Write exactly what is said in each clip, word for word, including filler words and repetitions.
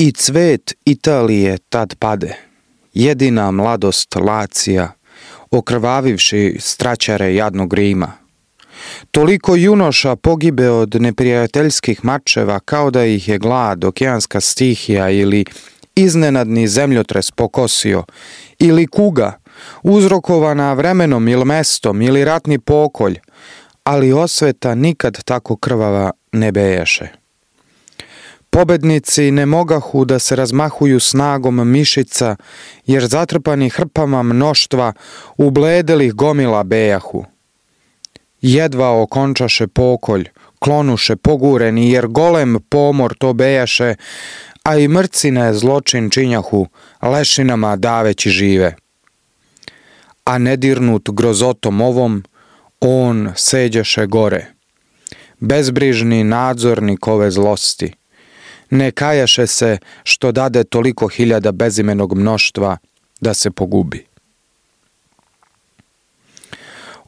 I cvet Italije tad pade, jedina mladost Lacija, okrvavivši straćare jadnog Rima. Toliko junoša pogibe od neprijateljskih mačeva kao da ih je glad, okeanska stihija ili iznenadni zemljotres pokosio, ili kuga, uzrokovana vremenom ili mestom ili ratni pokolj, ali osveta nikad tako krvava ne bejaše. Pobednici ne mogahu da se razmahuju snagom mišica, jer zatrpani hrpama mnoštva ubledelih gomila bejahu. Jedva okončaše pokolj, klonuše pogureni, jer golem pomor to bejaše, a i mrcine zločin činjahu, lešinama daveći žive. A nedirnut grozotom ovom, on seđeše gore. Bezbrižni nadzornik ove zlosti. Ne kajaše se što dade toliko hiljada bezimenog mnoštva da se pogubi.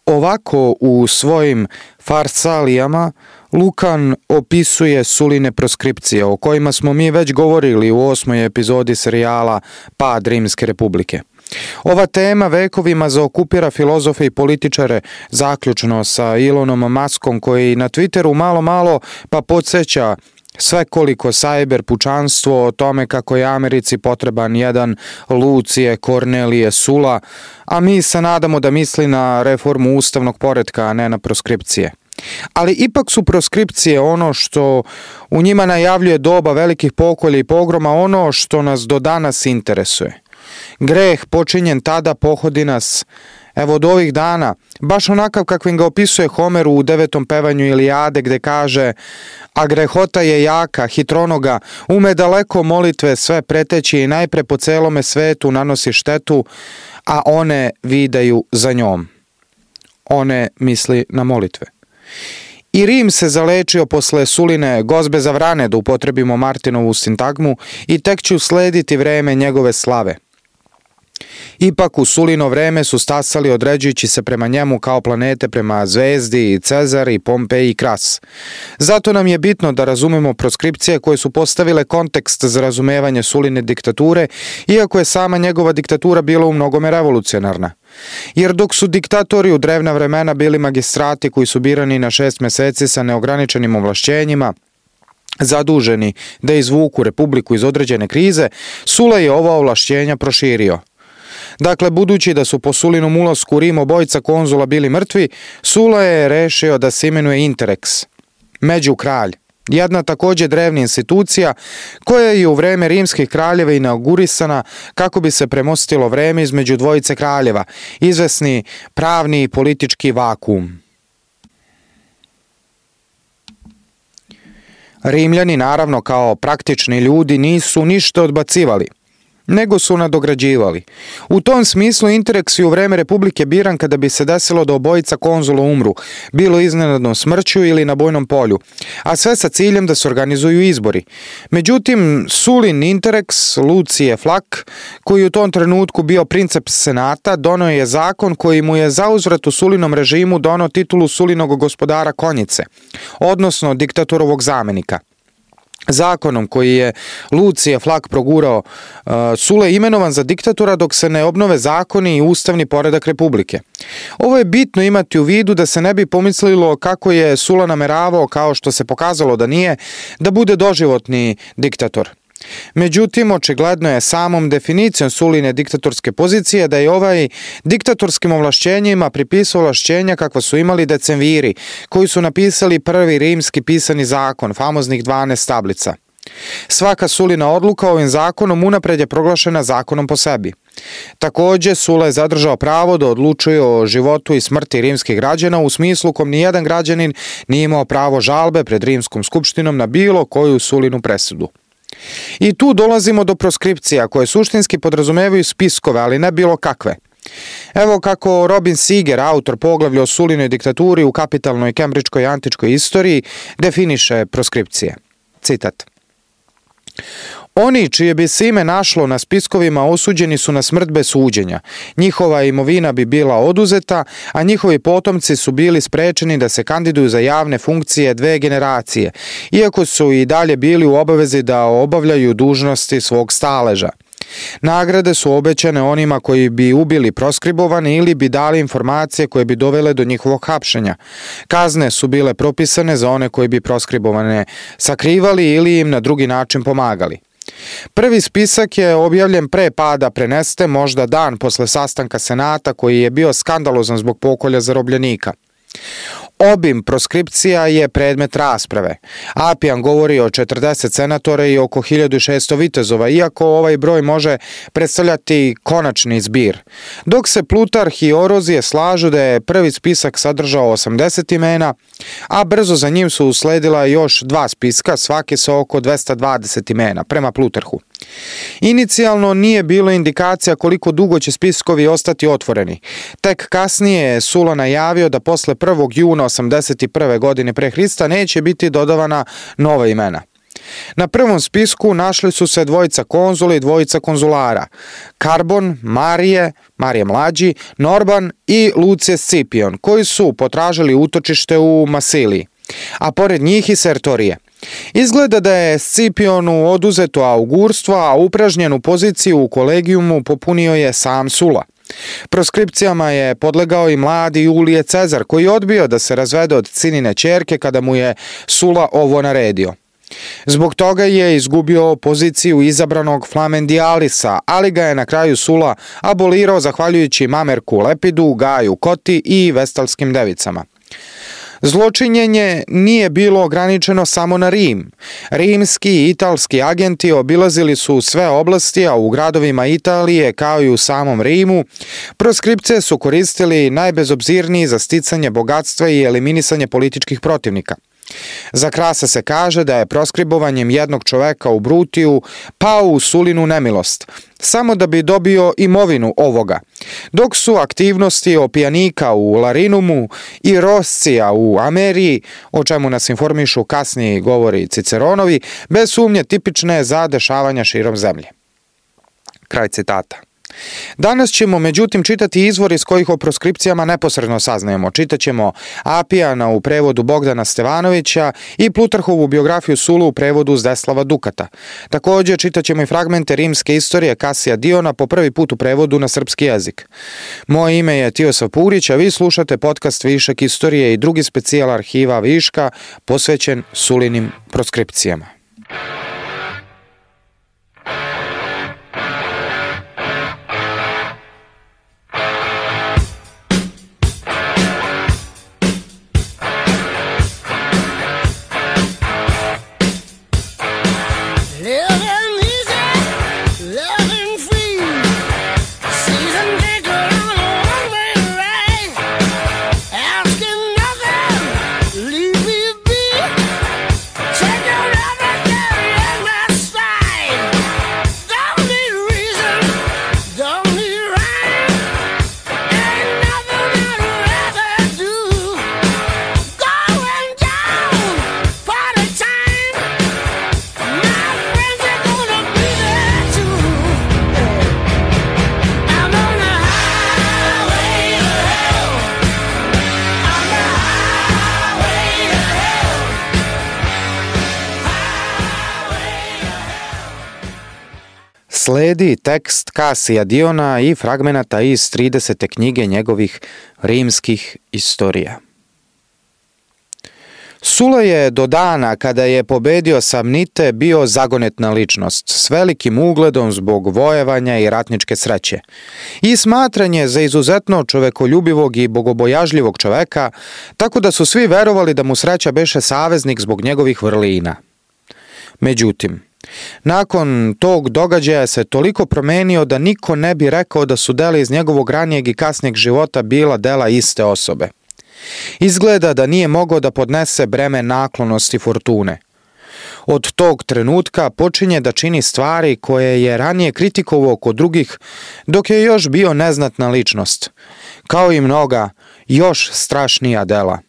Ovako u svojim farsalijama Lukan opisuje Suline proskripcije, o kojima smo mi već govorili u osmoj epizodi serijala Pad Rimske republike. Ova tema vekovima zaokupira filozofe i političare, zaključno sa Elonom Muskom, koji na Twitteru malo malo pa podsjeća svekoliko sajber pučanstvo o tome kako je Americi potreban jedan Lucije Kornelije Sula, a mi se nadamo da misli na reformu ustavnog poretka, a ne na proskripcije. Ali ipak su proskripcije ono što u njima najavljuje doba velikih pokolja i pogroma, ono što nas do danas interesuje. Greh počinjen tada pohodi nas, evo od ovih dana, baš onakav kakvim ga opisuje Homer u devetom pevanju Ilijade, gde kaže: a grehota je jaka, hitronoga, ume daleko molitve sve preteći i najpre po celome svetu nanosi štetu, a one vidaju za njom. One misli na molitve. I Rim se zalečio posle Suline gozbe za vrane, da upotrebimo Martinovu sintagmu, i tek će uslediti vreme njegove slave. Ipak u Sulino vreme su stasali određujući se prema njemu kao planete prema zvezdi i Cezar i Pompej i Kras. Zato nam je bitno da razumemo proskripcije koje su postavile kontekst za razumevanje Suline diktature, iako je sama njegova diktatura bila u mnogome revolucionarna. Jer dok su diktatori u drevna vremena bili magistrati koji su birani na šest meseci sa neograničenim ovlašćenjima, zaduženi da izvuku republiku iz određene krize, Sula je ova ovlašćenja proširio. Dakle, budući da su po Sulinom ulasku u Rim obojica konzula bili mrtvi, Sula je rešio da se imenuje Interrex, međukralj, jedna takođe drevna institucija koja je u vreme rimskih kraljeva inaugurisana kako bi se premostilo vreme između dvojice kraljeva, izvesni pravni i politički vakuum. Rimljani, naravno, kao praktični ljudi, nisu ništa odbacivali, nego su nadograđivali. U tom smislu Interrex je u vreme Republike biran kada bi se desilo da obojica konzula umru, bilo iznenadnom smrću ili na bojnom polju, a sve sa ciljem da se organizuju izbori. Međutim, Sulin Interrex, Lucije Flak, koji u tom trenutku bio princeps senata, doneo je zakon koji mu je zauzvrat u Sulinom režimu doneo titulu Sulinog gospodara konjice, odnosno diktatorovog zamenika. Zakonom koji je Lucije Flak progurao, uh, Sula je imenovan za diktatora dok se ne obnove zakoni i ustavni poredak republike. Ovo je bitno imati u vidu da se ne bi pomislilo kako je Sula nameravao, kao što se pokazalo da nije, da bude doživotni diktator. Međutim, očigledno je samom definicijom Suline diktatorske pozicije da je ovaj diktatorskim ovlašćenjima pripisao ovlašćenja kakva su imali decemviri, koji su napisali prvi rimski pisani zakon, famoznih dvanaest tablica. Svaka Sulina odluka ovim zakonom unapred je proglašena zakonom po sebi. Takođe, Sula je zadržao pravo da odlučuje o životu i smrti rimskih građana u smislu kom nijedan građanin nije imao pravo žalbe pred rimskom skupštinom na bilo koju Sulinu presudu. I tu dolazimo do proskripcija koje suštinski podrazumevaju spiskove, ali ne bilo kakve. Evo kako Robin Seeger, autor poglavlja o Sulinoj diktaturi u kapitalnoj kembridžkoj antičkoj istoriji, definiše proskripcije. Citat: Oni čije bi se ime našlo na spiskovima osuđeni su na smrt bez suđenja. Njihova imovina bi bila oduzeta, a njihovi potomci su bili sprečeni da se kandiduju za javne funkcije dve generacije, iako su i dalje bili u obavezi da obavljaju dužnosti svog staleža. Nagrade su obećane onima koji bi ubili proskribovane ili bi dali informacije koje bi dovele do njihovog hapšenja. Kazne su bile propisane za one koji bi proskribovane sakrivali ili im na drugi način pomagali. Prvi spisak je objavljen pre pada Preneste, možda dan posle sastanka Senata koji je bio skandalozan zbog pokolja zarobljenika. Obim proskripcija je predmet rasprave. Apijan govori o četrdeset senatora i oko hiljadu šesto vitezova, iako ovaj broj može predstavljati konačni zbir. Dok se Plutarh i Orozije slažu da je prvi spisak sadržao osamdeset imena, a brzo za njim su usledila još dva spiska, svaki sa oko dvesta dvadeset imena, prema Plutarhu. Inicijalno nije bilo indikacija koliko dugo će spiskovi ostati otvoreni. Tek kasnije je Sula najavio da posle prvog juna osamdeset prve godine pre Hrista neće biti dodavana nova imena. Na prvom spisku našli su se dvojica konzula i dvojica konzulara, Karbon, Marije, Marije mlađi, Norban i Lucije Scipion, koji su potražili utočište u Masiliji, a pored njih i Sertorije. Izgleda da je Scipionu oduzeto augurstvo, a upražnjenu poziciju u kolegijumu popunio je sam Sula. Proskripcijama je podlegao i mladi Julije Cezar, koji je odbio da se razvede od cinine ćerke kada mu je Sula ovo naredio. Zbog toga je izgubio poziciju izabranog Flamendijalisa, ali ga je na kraju Sula abolirao zahvaljujući Mamerku Lepidu, Gaju Koti i vestalskim devicama. Zločinjenje nije bilo ograničeno samo na Rim. Rimski i italski agenti obilazili su sve oblasti, a u gradovima Italije, kao i u samom Rimu, proskripcije su koristili najbezobzirniji za sticanje bogatstva i eliminisanje političkih protivnika. Za Krasa se kaže da je proskribovanjem jednog čoveka u Brutiju pao u Sulinu nemilost, samo da bi dobio imovinu ovoga, dok su aktivnosti Opijanika u Larinumu i Roscija u Ameriji, o čemu nas informišu kasniji govori Ciceronovi, bez sumnje tipične za dešavanja širom zemlje. Kraj citata. Danas ćemo međutim čitati izvor iz kojih o proskripcijama neposredno saznajemo. Čitaćemo Apijana u prevodu Bogdana Stevanovića i Plutarhovu biografiju Sulu u prevodu Zdeslava Dukata. Također čitaćemo i fragmente rimske istorije Kasija Diona po prvi put u prevodu na srpski jezik. Moje ime je Tiosav Purić, a vi slušate podcast Višak istorije i drugi specijal arhiva Viška posvećen Sulinim proskripcijama. Sledi tekst Kasija Diona i fragmenata iz tridesete knjige njegovih rimskih istorija. Sula je do dana kada je pobedio Samnite bio zagonetna ličnost s velikim ugledom zbog vojevanja i ratničke sreće i smatran je za izuzetno čovekoljubivog i bogobojažljivog čoveka, tako da su svi verovali da mu sreća beše saveznik zbog njegovih vrlina. Međutim, nakon tog događaja se toliko promenio da niko ne bi rekao da su dela iz njegovog ranijeg i kasnijeg života bila dela iste osobe. Izgleda da nije mogao da podnese breme naklonosti fortune. Od tog trenutka počinje da čini stvari koje je ranije kritikovao kod drugih dok je još bio neznatna ličnost, kao i mnoga još strašnija dela.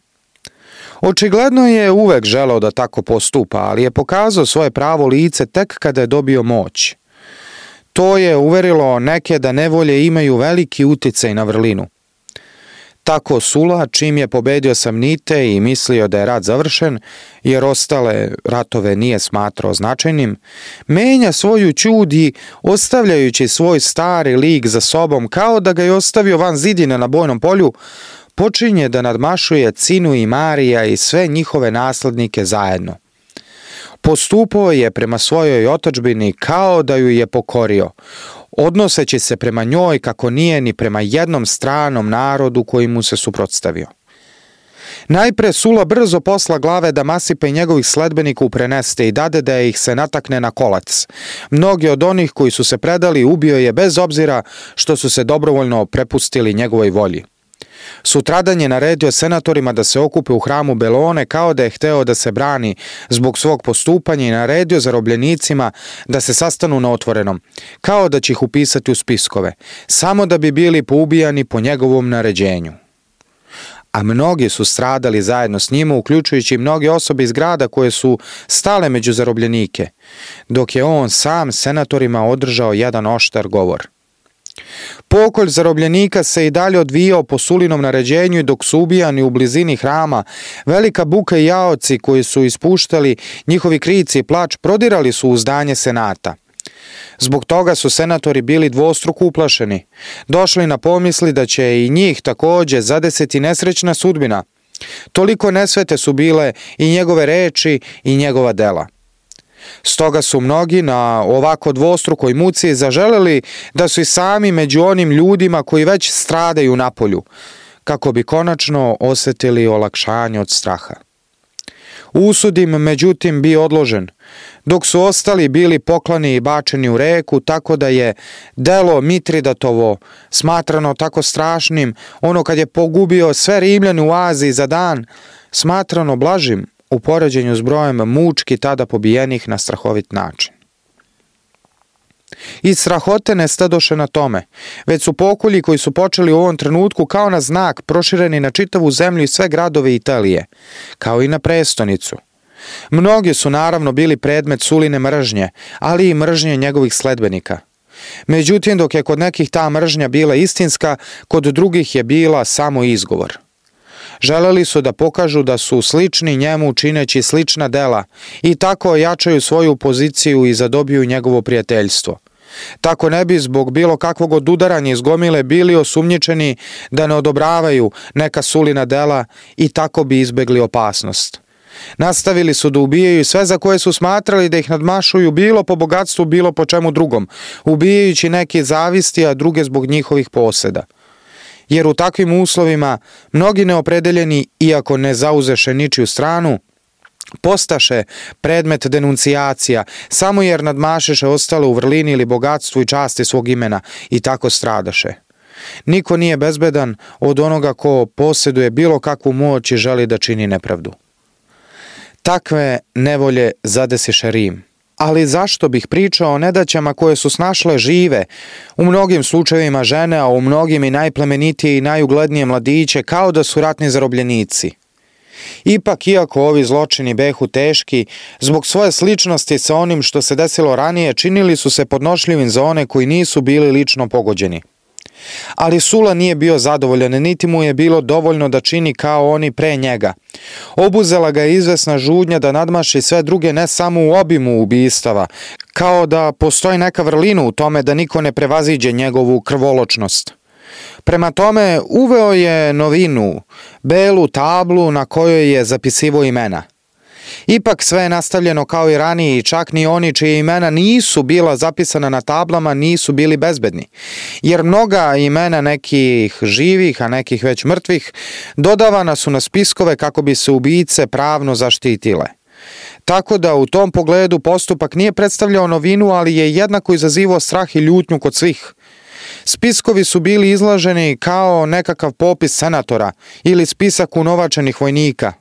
Očigledno je uvek želeo da tako postupa, ali je pokazao svoje pravo lice tek kada je dobio moć. To je uverilo neke da nevolje imaju veliki uticaj na vrlinu. Tako Sula, čim je pobedio Samnite i mislio da je rat završen, jer ostale ratove nije smatrao značajnim, menja svoju ćudi ostavljajući svoj stari lik za sobom kao da ga je ostavio van zidine na bojnom polju, počinje da nadmašuje Cinu i Marija i sve njihove naslednike zajedno. Postupao je prema svojoj otadžbini kao da ju je pokorio, odnoseći se prema njoj kako nije ni prema jednom stranom narodu koji mu se suprotstavio. Najpre Sula brzo posla glave Damasipa i njegovih sledbenika upreneste i dade da ih se natakne na kolac. Mnogi od onih koji su se predali ubio je bez obzira što su se dobrovoljno prepustili njegovoj volji. Sutradan je naredio senatorima da se okupe u hramu Belone kao da je hteo da se brani zbog svog postupanja i naredio zarobljenicima da se sastanu na otvorenom, kao da će ih upisati u spiskove, samo da bi bili poubijani po njegovom naređenju. A mnogi su stradali zajedno s njima, uključujući mnoge osobe iz grada koje su stale među zarobljenike, dok je on sam senatorima održao jedan oštar govor. Pokolj zarobljenika se i dalje odvijao po Sulinom naređenju i dok su ubijani u blizini hrama, velika buka i jaoci koji su ispuštali njihovi krici i plač prodirali su u zdanje senata. Zbog toga su senatori bili dvostruko uplašeni, došli na pomisli da će i njih takođe zadesiti nesrećna sudbina. Toliko nesvete su bile i njegove reči i njegova dela. Stoga su mnogi na ovako dvostrukoj muci zaželeli da su i sami među onim ljudima koji već stradaju napolju, kako bi konačno osetili olakšanje od straha. Usud im međutim bio odložen, dok su ostali bili poklani i bačeni u reku, tako da je delo Mitridatovo smatrano tako strašnim, ono kad je pogubio sve Rimljane u Aziji za dan, smatrano blažim u poređenju s brojem mučki tada pobijenih na strahovit način. I strahote ne stadoše na tome, već su pokolji koji su počeli u ovom trenutku kao na znak prošireni na čitavu zemlju i sve gradove Italije, kao i na prestonicu. Mnogi su naravno bili predmet Suline mržnje, ali i mržnje njegovih sledbenika. Međutim, dok je kod nekih ta mržnja bila istinska, kod drugih je bila samo izgovor. Želeli su da pokažu da su slični njemu čineći slična dela i tako ojačaju svoju poziciju i zadobiju njegovo prijateljstvo. Tako ne bi zbog bilo kakvog odudaranja iz gomile bili osumnjičeni da ne odobravaju neka Sulina dela i tako bi izbegli opasnost. Nastavili su da ubijaju sve za koje su smatrali da ih nadmašuju bilo po bogatstvu, bilo po čemu drugom, ubijajući neke zavisti, a druge zbog njihovih poseda. Jer u takvim uslovima mnogi neopredeljeni, iako ne zauzeše ničiju stranu, postaše predmet denuncijacija, samo jer nadmašeše ostale u vrlini ili bogatstvu i časti svog imena i tako stradaše. Niko nije bezbedan od onoga ko posjeduje bilo kakvu moć i želi da čini nepravdu. Takve nevolje zadesiše Rim. Ali zašto bih pričao o nedaćama koje su snašle žive, u mnogim slučajevima žene, a u mnogim i najplemenitije i najuglednije mladiće, kao da su ratni zarobljenici? Ipak, iako ovi zločini behu teški, zbog svoje sličnosti sa onim što se desilo ranije, činili su se podnošljivim za one koji nisu bili lično pogođeni. Ali Sula nije bio zadovoljan, niti mu je bilo dovoljno da čini kao oni pre njega. Obuzela ga je izvesna žudnja da nadmaši sve druge ne samo u obimu ubistava, kao da postoji neka vrlina u tome da niko ne prevaziđe njegovu krvoločnost. Prema tome uveo je novinu, belu tablu na kojoj je zapisivo imena. Ipak sve je nastavljeno kao i ranije i čak ni oni čije imena nisu bila zapisana na tablama nisu bili bezbedni, jer mnoga imena nekih živih, a nekih već mrtvih, dodavana su na spiskove kako bi se ubice pravno zaštitile. Tako da u tom pogledu postupak nije predstavljao novinu, ali je jednako izazivao strah i ljutnju kod svih. Spiskovi su bili izlaženi kao nekakav popis senatora ili spisak unovačenih vojnika.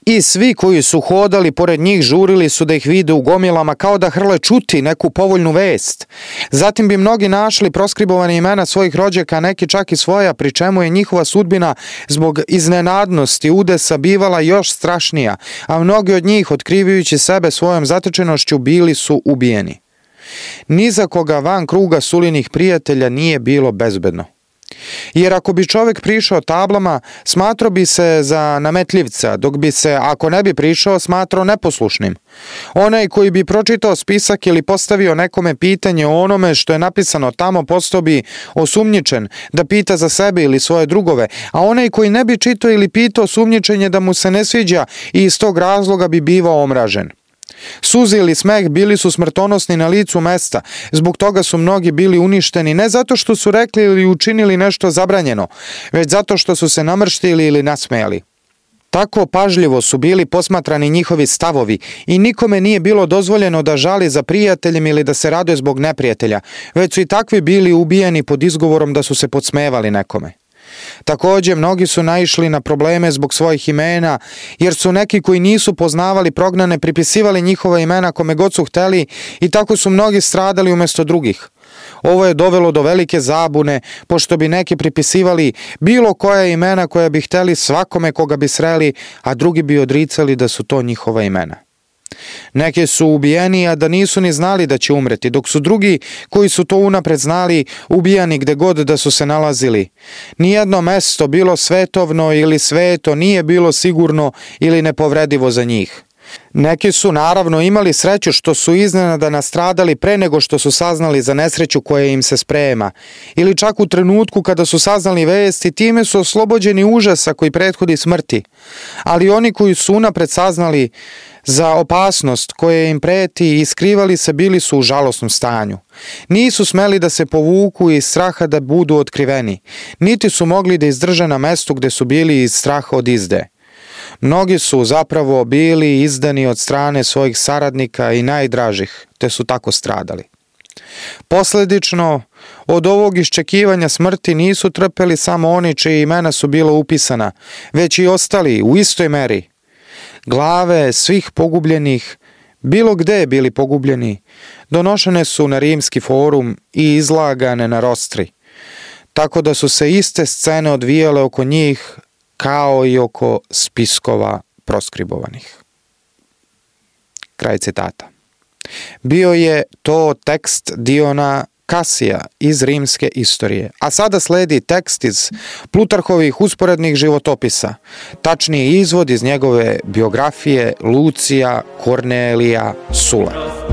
I svi koji su hodali pored njih žurili su da ih vide u gomilama kao da hrle čuti neku povoljnu vest. Zatim bi mnogi našli proskribovane imena svojih rođaka, neki čak i svoja, pri čemu je njihova sudbina zbog iznenadnosti udesa bivala još strašnija, a mnogi od njih, otkrivajući sebe svojom zatečenošću, bili su ubijeni. Ni za koga van kruga Sulinih prijatelja nije bilo bezbedno. Jer ako bi čovjek prišao tablama, smatrao bi se za nametljivca, dok bi se, ako ne bi prišao, smatrao neposlušnim. Onaj koji bi pročitao spisak ili postavio nekome pitanje o onome što je napisano tamo, postao bi osumnjičen da pita za sebe ili svoje drugove, a onaj koji ne bi čitao ili pitao, sumnjičen je da mu se ne sviđa i iz tog razloga bi bivao omražen. Suze ili smeh bili su smrtonosni na licu mesta, zbog toga su mnogi bili uništeni ne zato što su rekli ili učinili nešto zabranjeno, već zato što su se namrštili ili nasmejali. Tako pažljivo su bili posmatrani njihovi stavovi i nikome nije bilo dozvoljeno da žali za prijateljem ili da se raduje zbog neprijatelja, već su i takvi bili ubijeni pod izgovorom da su se podsmevali nekome. Također, mnogi su naišli na probleme zbog svojih imena, jer su neki koji nisu poznavali prognane pripisivali njihova imena kome god su hteli i tako su mnogi stradali umjesto drugih. Ovo je dovelo do velike zabune, pošto bi neki pripisivali bilo koja imena koja bi hteli svakome koga bi sreli, a drugi bi odricali da su to njihova imena. Neki su ubijeni, a da nisu ni znali da će umreti, dok su drugi, koji su to unapred znali, ubijani gde god da su se nalazili. Nijedno mesto, bilo svetovno ili sveto, nije bilo sigurno ili nepovredivo za njih. Neki su naravno imali sreću što su iznenada nastradali pre nego što su saznali za nesreću koja im se sprema, ili čak u trenutku kada su saznali vesti, time su oslobođeni užasa koji prethodi smrti. Ali oni koji su unapred saznali za opasnost koja im preti i skrivali se, bili su u žalosnom stanju. Nisu smeli da se povuku iz straha da budu otkriveni, niti su mogli da izdrže na mestu gde su bili iz straha od izde. Mnogi su zapravo bili izdani od strane svojih saradnika i najdražih, te su tako stradali. Posledično, od ovog iščekivanja smrti nisu trpeli samo oni čiji imena su bila upisana, već i ostali u istoj meri. Glave svih pogubljenih, bilo gde bili pogubljeni, donošene su na rimski forum i izlagane na rostri, tako da su se iste scene odvijale oko njih kao i oko spiskova proskribovanih. Kraj citata. Bio je to tekst Diona Kasija iz rimske istorije, a sada sledi tekst iz Plutarhovih usporednih životopisa, tačniji izvod iz njegove biografije Lucija Kornelija Sula.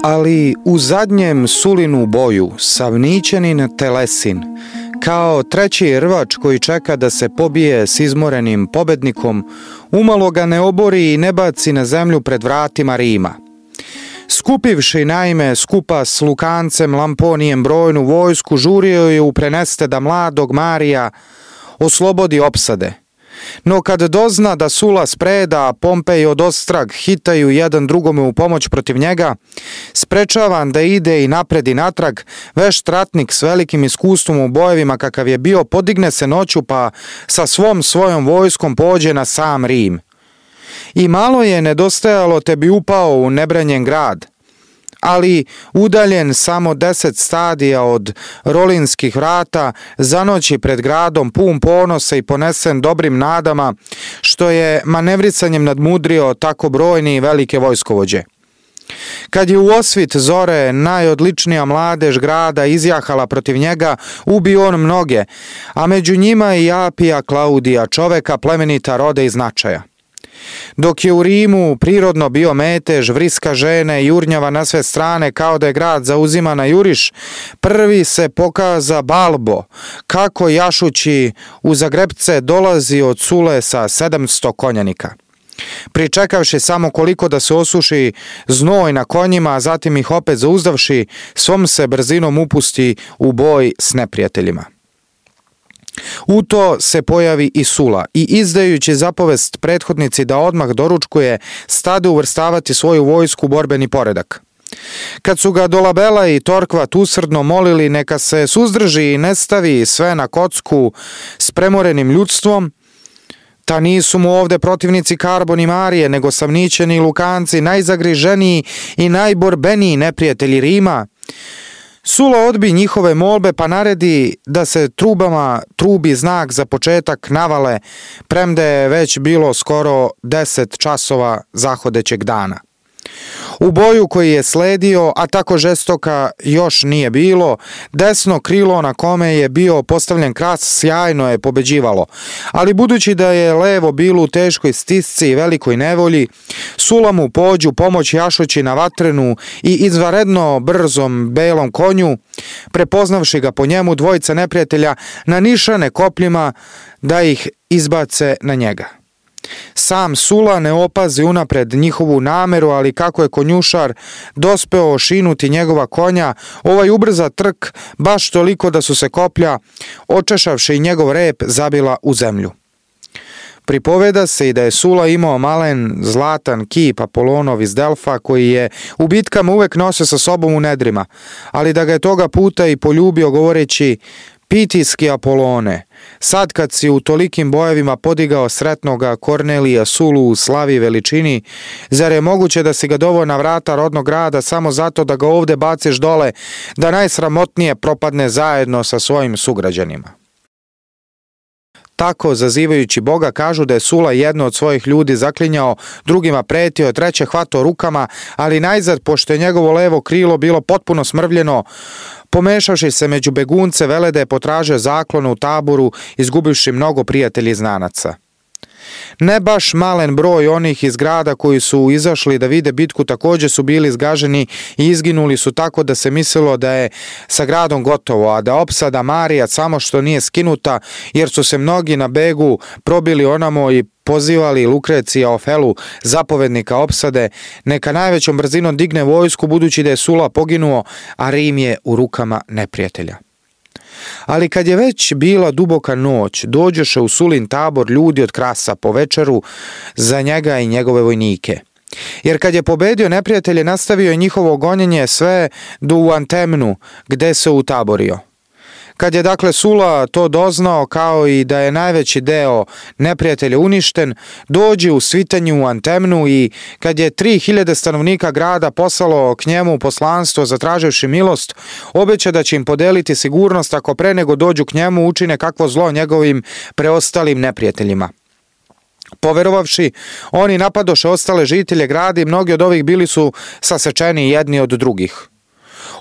Ali u zadnjem Sulinu boju Savnićanin Telesin, kao treći rvač koji čeka da se pobije s izmorenim pobednikom, umalo ga ne obori i ne baci na zemlju pred vratima Rima. Skupivši naime skupa s Lukancem Lamponijem brojnu vojsku, žurio je u preneste da mladog Marija oslobodi opsade. No kad dozna da Sula spreda, a Pompej od ostrag hitaju jedan drugome u pomoć protiv njega, sprečavan da ide i napred i natrag, vešt ratnik s velikim iskustvom u bojevima kakav je bio, podigne se noću pa sa svom svojom vojskom pođe na sam Rim. I malo je nedostajalo te bi upao u nebranjen grad, ali udaljen samo deset stadija od Rolinskih vrata, zanoći pred gradom pun ponosa i ponesen dobrim nadama, što je manevricanjem nadmudrio tako brojni i velike vojskovođe. Kad je u osvit zore najodličnija mladež grada izjahala protiv njega, ubio on mnoge, a među njima i Apija Klaudija, čoveka plemenita roda i značaja. Dok je u Rimu prirodno bio metež, vriska žene i jurnjava na sve strane kao da je grad zauzima na juriš, prvi se pokaza Balbo, kako jašući u Zagrebce dolazi od Sule sa sedamsto konjanika. Pričekavši samo koliko da se osuši znoj na konjima, a zatim ih opet zauzdavši, svom se brzinom upusti u boj s neprijateljima. U to se pojavi i Sula i izdajući zapovest prethodnici da odmah doručkuje, stade uvrstavati svoju vojsku u borbeni poredak. Kad su ga Dolabela i Torkvat usrdno molili neka se suzdrži i ne stavi sve na kocku s premorenim ljudstvom, ta nisu mu ovde protivnici Karbon i Marije, nego Savnićani i Lukanci, najzagriženiji i najborbeniji neprijatelji Rima, Sula odbi njihove molbe pa naredi da se trubama trubi znak za početak navale, premda je već bilo skoro deset časova zahodećeg dana. U boju koji je sledio, a tako žestoka još nije bilo, desno krilo na kome je bio postavljen kras sjajno je pobeđivalo, ali budući da je levo bilo u teškoj stisci i velikoj nevolji, Sula mu pođu pomoć jašući na vatrenu i izvanredno brzom belom konju, prepoznavši ga po njemu dvojica neprijatelja nanišane kopljima da ih izbace na njega. Sam Sula ne opazi unapred njihovu nameru, ali kako je konjušar dospeo ošinuti njegova konja, ovaj ubrza trk baš toliko da su se koplja, očešavši njegov rep, zabila u zemlju. Pripoveda se i da je Sula imao malen zlatan kip Apolonov iz Delfa koji je u bitkama uvek nosio sa sobom u nedrima, ali da ga je toga puta i poljubio govoreći: Pitijski Apolone, sad kad si u tolikim bojevima podigao sretnoga Kornelija Sulu u slavi i veličini, zar je moguće da si ga doveo na vrata rodnog grada samo zato da ga ovde baciš dole, da najsramotnije propadne zajedno sa svojim sugrađanima? Tako, zazivajući Boga, kažu da je Sula jedno od svojih ljudi zaklinjao, drugima pretio, treće hvatao rukama, ali najzad, pošto je njegovo levo krilo bilo potpuno smrvljeno, pomešavši se među begunce, vele da je potražio zaklonu u taboru, izgubivši mnogo prijatelji i znanaca. Ne baš malen broj onih iz grada koji su izašli da vide bitku također su bili zgaženi i izginuli su tako da se mislilo da je sa gradom gotovo, a da opsada Marija samo što nije skinuta, jer su se mnogi na begu probili onamo i pozivali Lukrecija Ofelu, zapovednika opsade, neka najvećom brzinom digne vojsku budući da je Sula poginuo, a Rim je u rukama neprijatelja. Ali kad je već bila duboka noć, dođoše u Sulin tabor ljudi od Krasa po večeru za njega i njegove vojnike. Jer kad je pobedio neprijatelje, nastavio je njihovo gonjenje sve do u Antemnu, gde se utaborio. Kad je dakle Sula to doznao, kao i da je najveći deo neprijatelja uništen, dođe u svitanju u Antemnu i kad je tri hiljade stanovnika grada poslalo k njemu poslanstvo zatraživši milost, obeća da će im podeliti sigurnost ako pre nego dođu k njemu učine kakvo zlo njegovim preostalim neprijateljima. Poverovavši, oni napadoše ostale žitelje grada i mnogi od ovih bili su sasečeni jedni od drugih.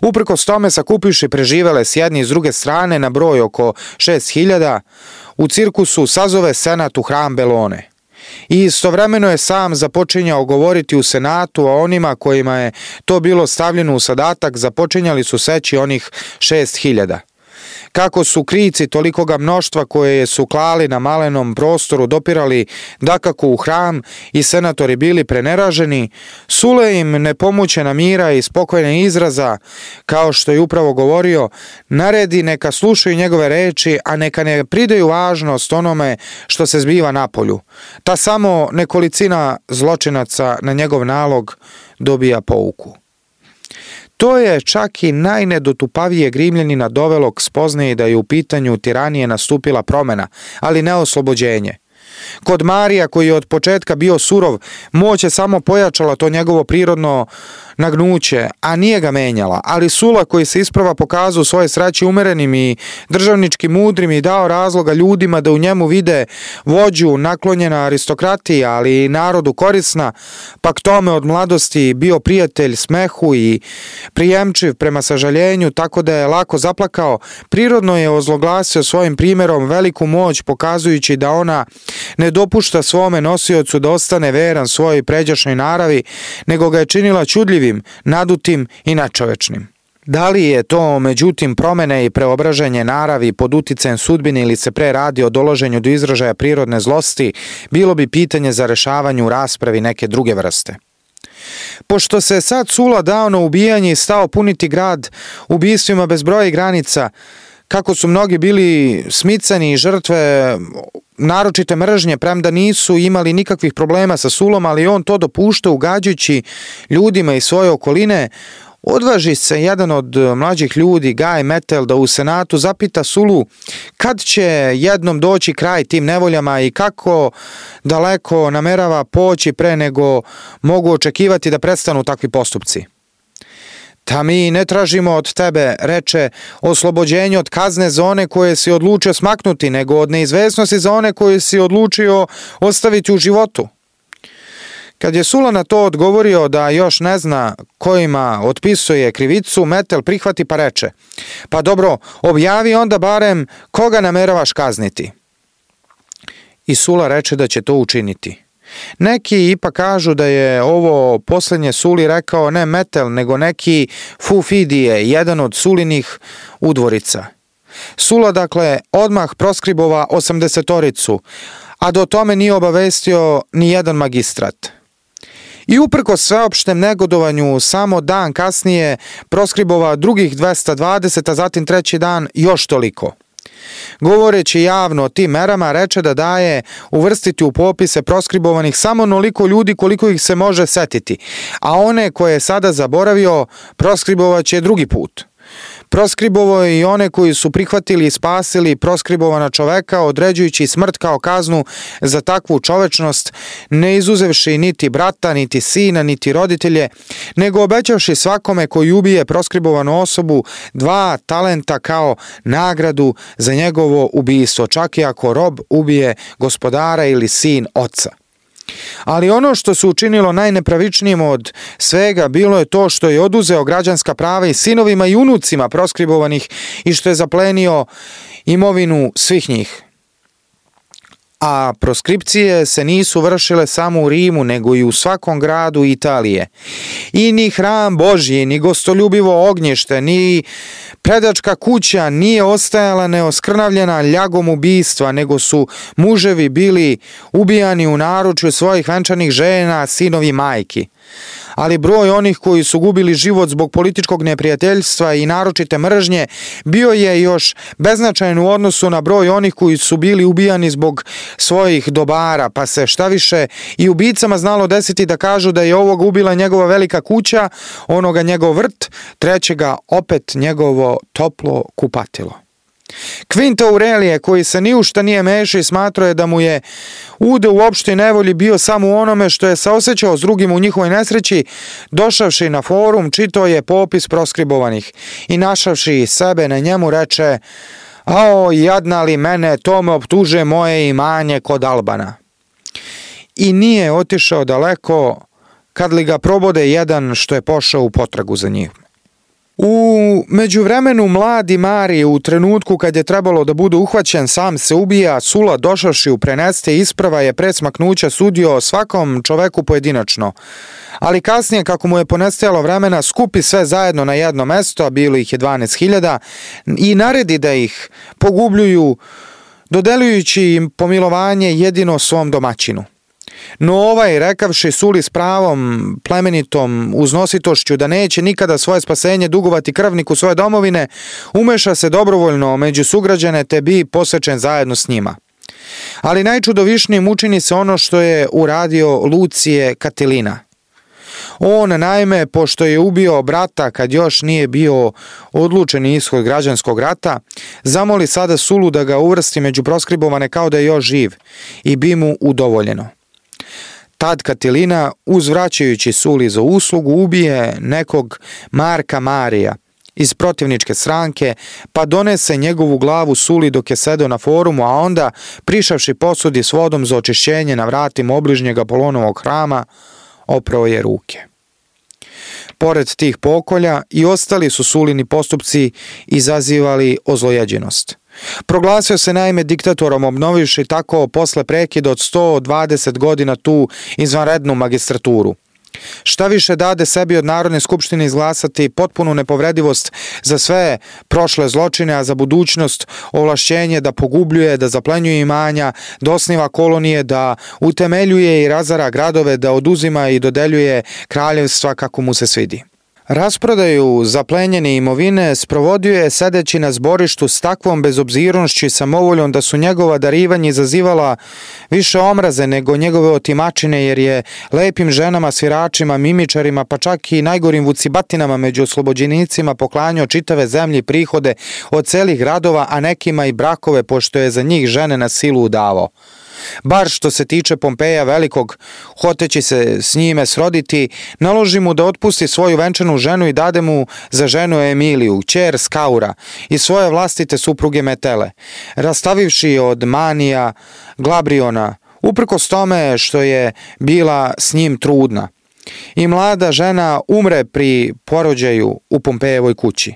Uprkos tome, sakupiši preživele s jedne i s druge strane na broj oko šest hiljada, u cirkusu sazove senat u hram Belone. I istovremeno je sam započinjao govoriti u senatu, a onima kojima je to bilo stavljeno u zadatak započinjali su seći onih šest hiljada. Kako su krici tolikoga mnoštva koje su klali na malenom prostoru dopirali dakako u hram i senatori bili preneraženi, Sule im nepomućena mira i spokojne izraza, kao što je upravo govorio, naredi neka slušaju njegove reči, a neka ne pridaju važnost onome što se zbiva napolju. Ta samo nekolicina zločinaca na njegov nalog dobija pouku. To je čak i najnedotupavijeg Rimljanina dovelo k spoznaji da je u pitanju tiranije nastupila promena, ali ne oslobođenje. Kod Marija, koji je od početka bio surov, moć je samo pojačala to njegovo prirodno nagnuće, a nije ga menjala. Ali Sula, koji se isprava pokazao svoje sreći umerenim i državnički mudrim i dao razloga ljudima da u njemu vide vođu naklonjena aristokratiji, ali i narodu korisna, pa k tome od mladosti bio prijatelj smehu i prijemčiv prema sažaljenju, tako da je lako zaplakao, prirodno je ozloglasio svojim primjerom veliku moć, pokazujući da ona ne dopušta svome nosiocu da ostane veran svojoj pređašnjoj naravi, nego ga je činila čudljivim, nadutim i nečovečnim. Da li je to, međutim, promene i preobraženje naravi pod uticajem sudbine ili se pre radi o dolaženju do izražaja prirodne zlosti, bilo bi pitanje za rešavanje u raspravi neke druge vrste. Pošto se sad Sula dao na ubijanje i stao puniti grad ubistvima bez broja i granica, kako su mnogi bili smicani i žrtve naročite mržnje, premda nisu imali nikakvih problema sa Sulom, ali on to dopušta ugađajući ljudima iz svoje okoline, odvaži se jedan od mlađih ljudi, Gaj Metel, da u Senatu zapita Sulu kad će jednom doći kraj tim nevoljama i kako daleko namerava poći pre nego mogu očekivati da prestanu takvi postupci. Da mi ne tražimo od tebe, reče, oslobođenje od kazne za one koje si odlučio smaknuti, nego od neizvesnosti za one koje si odlučio ostaviti u životu. Kad je Sula na to odgovorio da još ne zna kojima otpisuje krivicu, Metel prihvati pa reče, pa dobro, objavi onda barem koga nameravaš kazniti. I Sula reče da će to učiniti. Neki ipak kažu da je ovo posljednje Suli rekao ne Metel, nego neki Fufidije, jedan od Sulinih udvorica. Sula, dakle, odmah proskribova osamdesetoricu, a do tome nije obavestio ni jedan magistrat. I uprko sveopštem negodovanju, samo dan kasnije proskribova drugih dvesta dvadeset, a zatim treći dan još toliko. Govoreći javno o tim merama, reče da daje uvrstiti u popise proskribovanih samo onoliko ljudi koliko ih se može setiti, a one koje je sada zaboravio proskribovat će drugi put. Proskribovao je i one koji su prihvatili i spasili proskribovana čoveka, određujući smrt kao kaznu za takvu čovečnost, ne izuzevši niti brata, niti sina, niti roditelje, nego obećavši svakome koji ubije proskribovanu osobu dva talenta kao nagradu za njegovo ubistvo, čak i ako rob ubije gospodara ili sin oca. Ali ono što se učinilo najnepravičnijim od svega bilo je to što je oduzeo građanska prava i sinovima i unucima proskribovanih i što je zaplenio imovinu svih njih. A proskripcije se nisu vršile samo u Rimu, nego i u svakom gradu Italije. I ni hram Božji, ni gostoljubivo ognjište, ni predačka kuća nije ostajala neoskrnavljena ljagom ubistva, nego su muževi bili ubijani u naručju svojih venčanih žena, sinovi majki. Ali broj onih koji su gubili život zbog političkog neprijateljstva i naročite mržnje bio je još beznačajan u odnosu na broj onih koji su bili ubijani zbog svojih dobara, pa se šta više i ubicama znalo desiti da kažu da je ovog ubila njegova velika kuća, onoga njegov vrt, trećega opet njegovo toplo kupatilo. Quinto Aurelije, koji se ni u šta nije mešao i smatrao je da mu je ude u opštoj nevolji bio samo u onome što je saosećao s drugim u njihovoj nesreći, došavši na forum, čitao je popis proskribovanih i našavši sebe na njemu reče: "Ao, jadna li mene, to me optuže moje imanje kod Albana." I nije otišao daleko kad li ga probode jedan što je pošao u potragu za njim. U međuvremenu mladi Marije, u trenutku kad je trebalo da bude uhvaćen, sam se ubija. Sula, došavši u preneste isprava, je pre smaknuća sudio svakom čoveku pojedinačno. Ali kasnije, kako mu je ponestajalo vremena, skupi sve zajedno na jedno mesto, a bilo ih je dvanaest hiljada, i naredi da ih pogubljuju, dodeljujući im pomilovanje jedino svom domaćinu. No ovaj, rekavši Suli s pravom plemenitom uznositošću da neće nikada svoje spasenje dugovati krvniku svoje domovine, umeša se dobrovoljno među sugrađane te bi posečen zajedno s njima. Ali najčudovišnijim učini se ono što je uradio Lucije Katilina. On, naime, pošto je ubio brata kad još nije bio odlučen ishod građanskog rata, zamoli sada Sulu da ga uvrsti među proskribovane kao da je još živ i bi mu udovoljeno. Tad Katilina, uzvraćajući Suli za uslugu, ubije nekog Marka Marija iz protivničke stranke, pa donese njegovu glavu Suli dok je sedeo na forumu, a onda, prišavši posudi s vodom za očišćenje na vratima obližnjeg Apolonovog hrama, oprao je ruke. Pored tih pokolja i ostali su Sulini postupci izazivali ozlojeđenost. Proglasio se naime diktatorom, obnovivši tako posle prekida od sto dvadeset godina tu izvanrednu magistraturu. Šta više dade sebi od Narodne skupštine izglasati potpunu nepovredivost za sve prošle zločine, a za budućnost ovlašćenje da pogubljuje, da zaplenjuje imanja, da osniva kolonije, da utemeljuje i razara gradove, da oduzima i dodeljuje kraljevstva kako mu se svidi. Rasprodaju zaplenjene imovine sprovodio je sedeći na zborištu s takvom bezobzirnošću i samovoljom da su njegova darivanja izazivala više omraze nego njegove otimačine, jer je lepim ženama, sviračima, mimičarima, pa čak i najgorim vucibatinama među oslobođenicima poklanjao čitave zemlje i prihode od celih gradova, a nekima i brakove, pošto je za njih žene na silu udavao. Bar što se tiče Pompeja Velikog, hoteći se s njime sroditi, naloži mu da otpusti svoju venčanu ženu i dade mu za ženu Emiliju, kćer Skaura, i svoje vlastite supruge Metele, rastavivši od Manija Glabriona, uprkos tome što je bila s njim trudna. I mlada žena umre pri porođaju u Pompejevoj kući.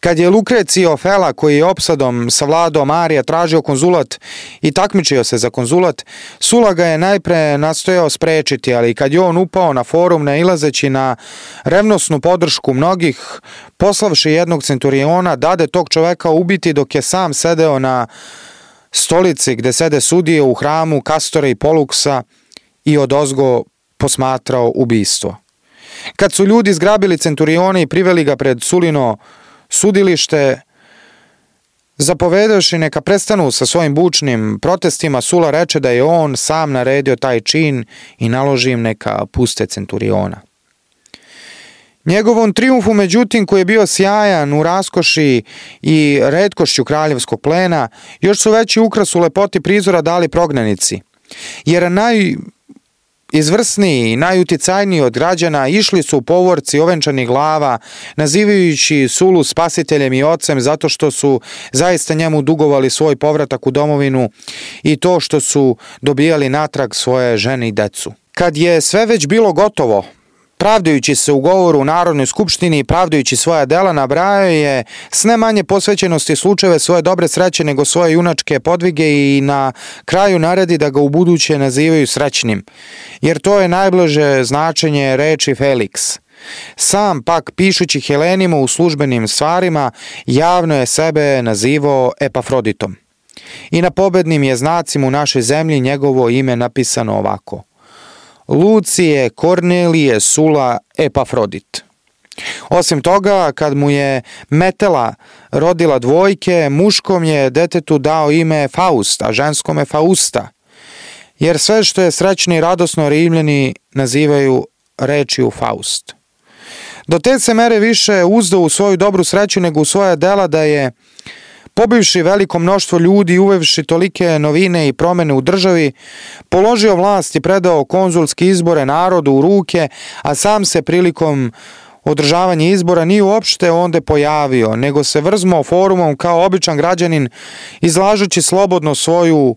Kad je Lukrecio Fela, koji je opsadom savladao Marija, tražio konzulat i takmičio se za konzulat, Sula ga je najpre nastojao sprečiti, ali kad je on upao na forum nailazeći na revnosnu podršku mnogih, poslavši jednog centuriona, dade tog čoveka ubiti dok je sam sedeo na stolici gde sede sudije u hramu Kastora i Poluksa i odozgo posmatrao ubistvo. Kad su ljudi zgrabili centuriona i priveli ga pred Sulino sudilište, zapovedavši neka prestanu sa svojim bučnim protestima, Sula reče da je on sam naredio taj čin i naloži im neka puste centuriona. Njegovom trijumfu, međutim, koji je bio sjajan u raskoši i retkošću kraljevskog plena, još su veći ukras u lepoti prizora dali prognanici, jer naj... izvrsniji i najuticajniji od građana išli su u povorci ovenčanih glava, nazivajući Sulu spasiteljem i ocem zato što su zaista njemu dugovali svoj povratak u domovinu i to što su dobijali natrag svoje žene i decu. Kad je sve već bilo gotovo, pravdajući se u govoru u Narodnoj skupštini i pravdajući svoja dela, nabrajao je s ne manje posvećenosti slučajeve svoje dobre sreće nego svoje junačke podvige i na kraju naredi da ga u buduće nazivaju srećnim, jer to je najbliže značenje reči Felix. Sam pak, pišući Helenima u službenim stvarima, javno je sebe nazivao Epafroditom. I na pobednim je znacima u našoj zemlji njegovo ime napisano ovako: Lucije Kornelije Sula Epafrodit. Osim toga, kad mu je Metela rodila dvojke, muškom je detetu dao ime Faust, a ženskome Fausta, jer sve što je srećno i radosno Rimljani nazivaju rečju Faust. Do te se mere više uzdao u svoju dobru sreću nego u svoja dela da je, pobivši veliko mnoštvo ljudi i uvevši tolike novine i promene u državi, položio vlast i predao konzulske izbore narodu u ruke, a sam se prilikom održavanja izbora nije uopšte onda pojavio, nego se vrzmao forumom kao običan građanin, izlažući slobodno svoju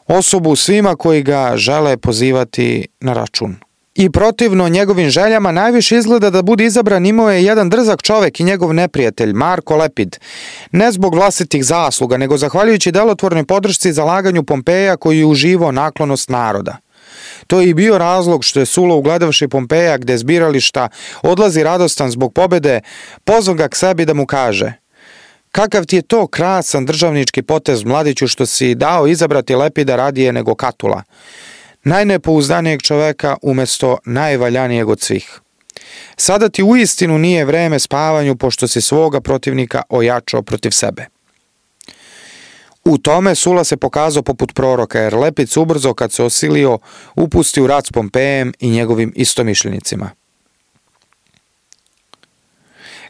osobu svima koji ga žele pozivati na račun. I protivno njegovim željama najviše izgleda da bude izabran imao je jedan drzak čovek i njegov neprijatelj, Marko Lepid, ne zbog vlastitih zasluga, nego zahvaljujući delotvornoj podršci i zalaganju Pompeja koji je uživao naklonost naroda. To je i bio razlog što je Sula, ugledavši Pompeja gde zbirališta odlazi radostan zbog pobede, pozvao ga k sebi da mu kaže: kakav ti je to krasan državnički potez, mladiću, što si dao izabrati Lepida radije nego Katula, najnepouzdanijeg čoveka umesto najvaljanijeg od svih. Sada ti uistinu nije vreme spavanju, pošto si svoga protivnika ojačao protiv sebe. U tome Sula se pokazao poput proroka, jer Lepic ubrzo kad se osilio upusti u rat s Pompejem i njegovim istomišljenicima.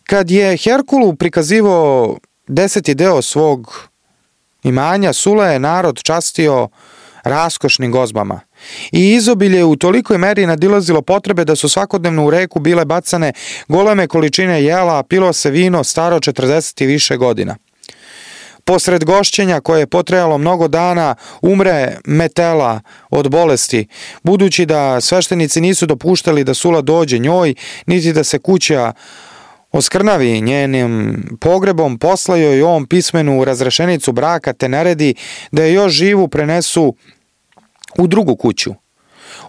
Kad je Herkulu prikazivao deseti deo svog imanja, Sula je narod častio raskošnim gozbama. I izobilje u tolikoj meri nadilazilo potrebe da su svakodnevno u reku bile bacane goleme količine jela, a pilo se vino staro četrdeset i više godina. Posred gošćenja koje je potrajalo mnogo dana umre Metela od bolesti, budući da sveštenici nisu dopuštali da Sula dođe njoj, niti da se kuća oskrnavi njenim pogrebom, poslao joj on pismenu razrešenicu braka te naredi da je još živu prenesu u drugu kuću.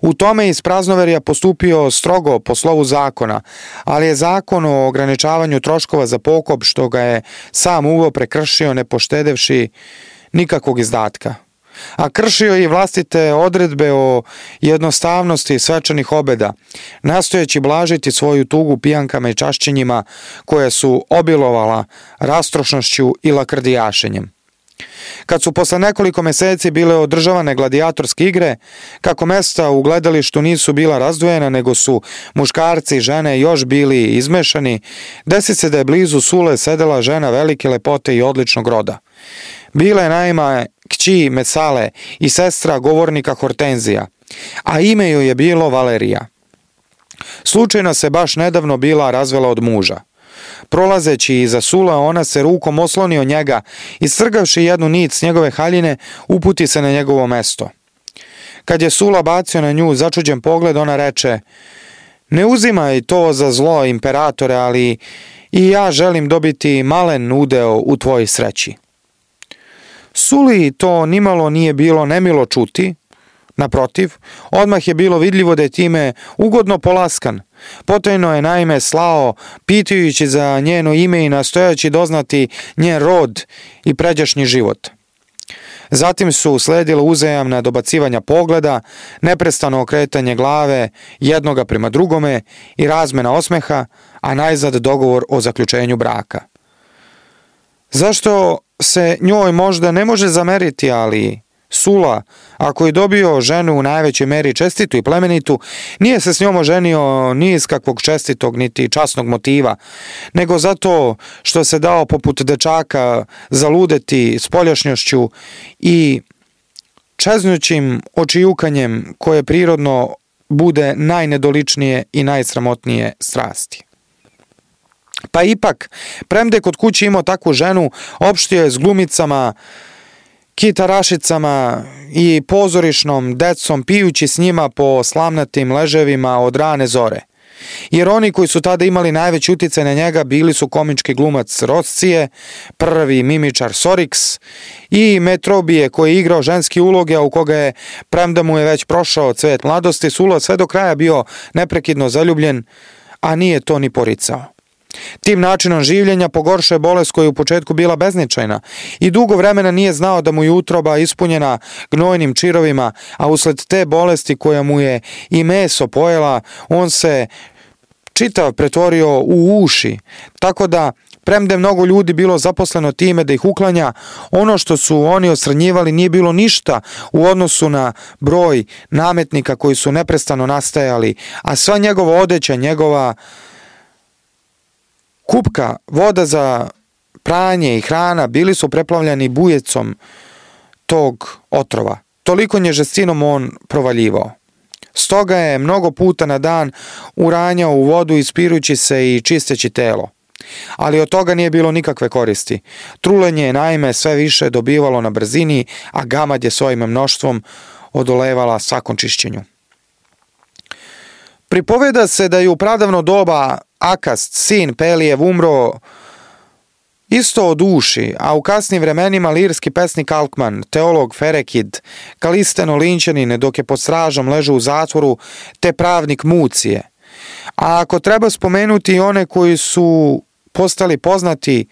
U tome je iz praznoverja postupio strogo po slovu zakona, ali je zakon o ograničavanju troškova za pokop, što ga je sam uveo, prekršio ne poštedevši nikakvog izdatka. A kršio je i vlastite odredbe o jednostavnosti svečanih obeda, nastojeći blažiti svoju tugu pijankama i čašćenjima koje su obilovala rastrošnošću i lakrdijašenjem. Kad su posle nekoliko meseci bile održavane gladijatorske igre, kako mesta u gledalištu nisu bila razdvojena, nego su muškarci i žene još bili izmešani, desi se da je blizu Sule sedela žena velike lepote i odličnog roda. Bila je naime kći Mesale i sestra govornika Hortenzija, a ime joj je bilo Valerija. Slučajno se baš nedavno bila razvela od muža. Prolazeći iza Sula, ona se rukom osloni od njega i strgavši jednu nit s njegove haljine, uputi se na njegovo mesto. Kad je Sula bacio na nju začuđen pogled, ona reče: "Ne uzimaj to za zlo, imperatore, ali i ja želim dobiti malen udeo u tvojoj sreći." Suli to nimalo nije bilo nemilo čuti, naprotiv, odmah je bilo vidljivo da je time ugodno polaskan. Potajno je naime slao, pitajući za njeno ime i nastojaći doznati njen rod i pređašnji život. Zatim su sledila uzajamna dobacivanja pogleda, neprestano okretanje glave jednoga prema drugome i razmena osmeha, a najzad dogovor o zaključenju braka. Zašto se njoj možda ne može zameriti, ali Sula, ako je dobio ženu u najvećoj meri čestitu i plemenitu, nije se s njom oženio ni iz kakvog čestitog niti časnog motiva, nego zato što se dao poput dečaka zaludeti spoljašnjošću i čeznućim očijukanjem koje prirodno bude najnedoličnije i najsramotnije strasti. Pa ipak, premda je kod kuće imao takvu ženu, opštio je s glumicama, kitarašicama i pozorišnom decom, pijući s njima po slamnatim leževima od rane zore. Jer oni koji su tada imali najveći uticaj na njega bili su komički glumac Roscije, prvi mimičar Soriks i Metrobije koji je igrao ženski uloge, a u koga je, premda mu je već prošao cvet mladosti, Sula sve do kraja bio neprekidno zaljubljen, a nije to ni poricao. Tim načinom življenja pogoršao je bolest koja je u početku bila bezničajna i dugo vremena nije znao da mu je utroba ispunjena gnojnim čirovima, a usled te bolesti koja mu je i meso pojela, on se čitav pretvorio u uši, tako da, premda je mnogo ljudi bilo zaposleno time da ih uklanja, ono što su oni odstranjivali nije bilo ništa u odnosu na broj nametnika koji su neprestano nastajali, a sva njegova odeća, njegova kupka, voda za pranje i hrana bili su preplavljani bujecom tog otrova. Toliko nje žestinom on provaljivao. Stoga je mnogo puta na dan uranjao u vodu ispirujući se i čisteći telo. Ali od toga nije bilo nikakve koristi. Trulenje je naime sve više dobivalo na brzini, a gamad je svojim mnoštvom odolevala svakom čišćenju. Pripoveda se da je u pradavno doba Akast, sin Pelijev, umro isto od uši, a u kasnim vremenima lirski pesnik Alkman, teolog Ferekid, Kalisteno Linčanin dok je pod stražom ležao u zatvoru, te pravnik Mucije. A ako treba spomenuti i one koji su postali poznati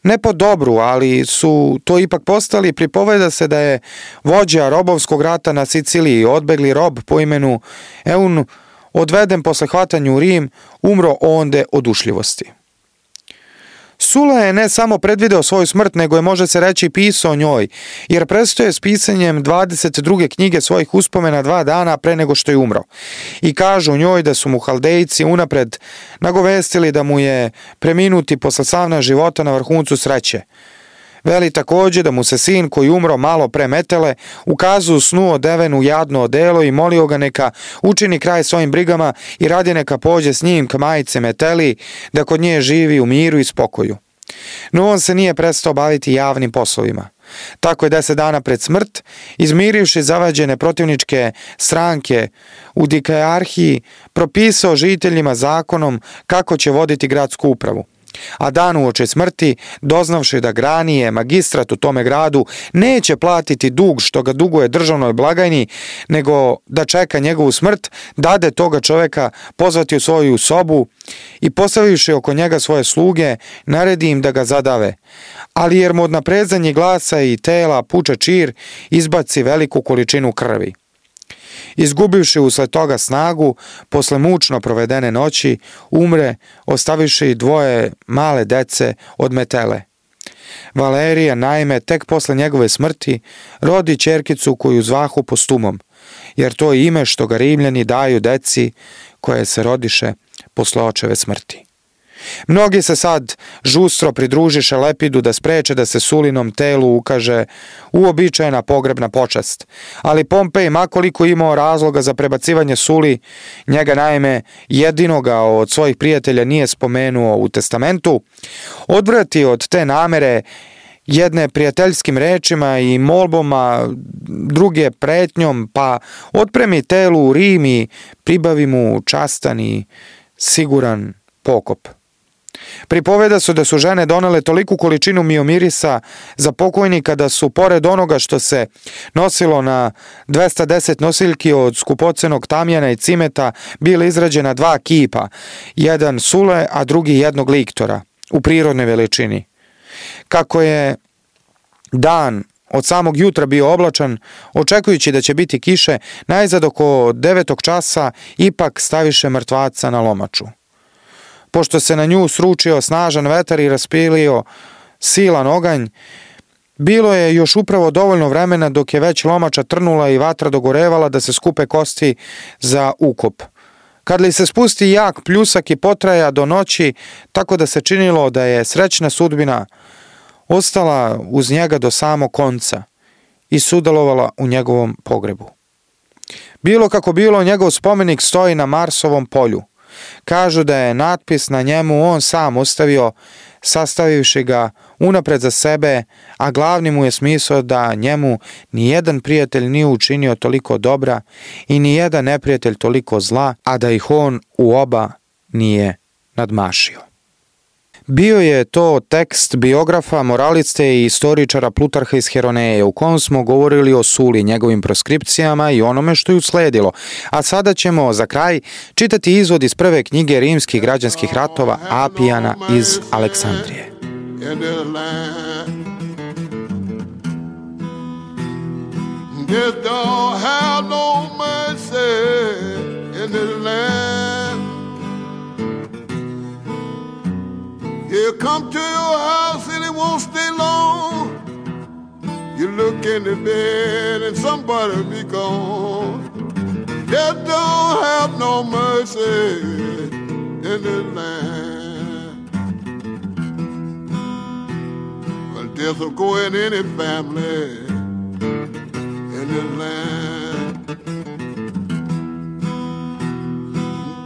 ne po dobru, ali su to ipak postali, pripoveda se da je vođa robovskog rata na Siciliji, odbegli rob po imenu Eun, odveden posle hvatanja u Rim, umro onde od ušljivosti. Sula je ne samo predvideo svoju smrt, nego je, može se reći, pisao o njoj, jer prestoje s pisanjem dvadeset druge knjige svojih uspomena dva dana pre nego što je umro. I kažu u njoj da su mu Haldejci unapred nagovestili da mu je preminuti posle slavna života na vrhuncu sreće. Veli također da mu se sin koji umro malo pre Metele ukazu u snu odeven u jadno odelo i molio ga neka učini kraj svojim brigama i radi neka pođe s njim k majice Meteli da kod nje živi u miru i spokoju. No on se nije prestao baviti javnim poslovima. Tako je deset dana pred smrt, izmirivši zavađene protivničke stranke u dikajarhiji, propisao žiteljima zakonom kako će voditi gradsku upravu. A dan uoči smrti, doznavši da Granije, magistrat u tome gradu, neće platiti dug što ga duguje državnoj blagajni, nego da čeka njegovu smrt, dade toga čoveka pozvati u svoju sobu i postavivši oko njega svoje sluge, naredi im da ga zadave. Ali jer mu od naprezanja glasa i tela puče čir, izbaci veliku količinu krvi. Izgubivši usled toga snagu, posle mučno provedene noći, umre, ostavivši dvoje male dece od Metele. Valerija, naime, tek posle njegove smrti, rodi ćerkicu koju zvahu Postumom, jer to je ime što ga Rimljani daju deci koje se rodiše posle očeve smrti. Mnogi se sad žustro pridružiše Lepidu da spreče da se Sulinom telu ukaže uobičajena pogrebna počast, ali Pompej, makoliko imao razloga za prebacivanje Suli, njega naime jedinoga od svojih prijatelja nije spomenuo u testamentu, odvrati od te namere jedne prijateljskim rečima i molbama, druge pretnjom, pa otpremi telu u Rim i pribavi mu častan i siguran pokop. Pripoveda su da su žene donele toliku količinu miomirisa za pokojnika da su, pored onoga što se nosilo na dvesta deset nosiljki od skupocenog tamjana i cimeta, bila izrađena dva kipa, jedan Sule, a drugi jednog liktora, u prirodnoj veličini. Kako je dan od samog jutra bio oblačan, očekujući da će biti kiše, najzad oko devetog časa ipak staviše mrtvaca na lomaču. Pošto se na nju sručio snažan vetar i raspilio silan oganj, bilo je još upravo dovoljno vremena dok je već lomača trnula i vatra dogorevala da se skupe kosti za ukop. Kad li se spusti jak pljusak i potraja do noći, tako da se činilo da je srećna sudbina ostala uz njega do samog konca i sudjelovala u njegovom pogrebu. Bilo kako bilo, njegov spomenik stoji na Marsovom polju. Kažu da je natpis na njemu on sam ostavio, sastavivši ga unapred za sebe, a glavni mu je smisao da njemu nijedan prijatelj nije učinio toliko dobra i nijedan neprijatelj toliko zla, a da ih on u oba nije nadmašio. Bio je to tekst biografa, moraliste i istoričara Plutarha iz Heroneje, u kom smo govorili o Suli, njegovim proskripcijama i onome što je usledilo. A sada ćemo za kraj čitati izvod iz prve knjige rimskih građanskih ratova Apijana iz Aleksandrije. You come to your house and it won't stay long. You look in the bed and somebody be gone. Death don't have no mercy in this land. Well, death will go in any family in this land.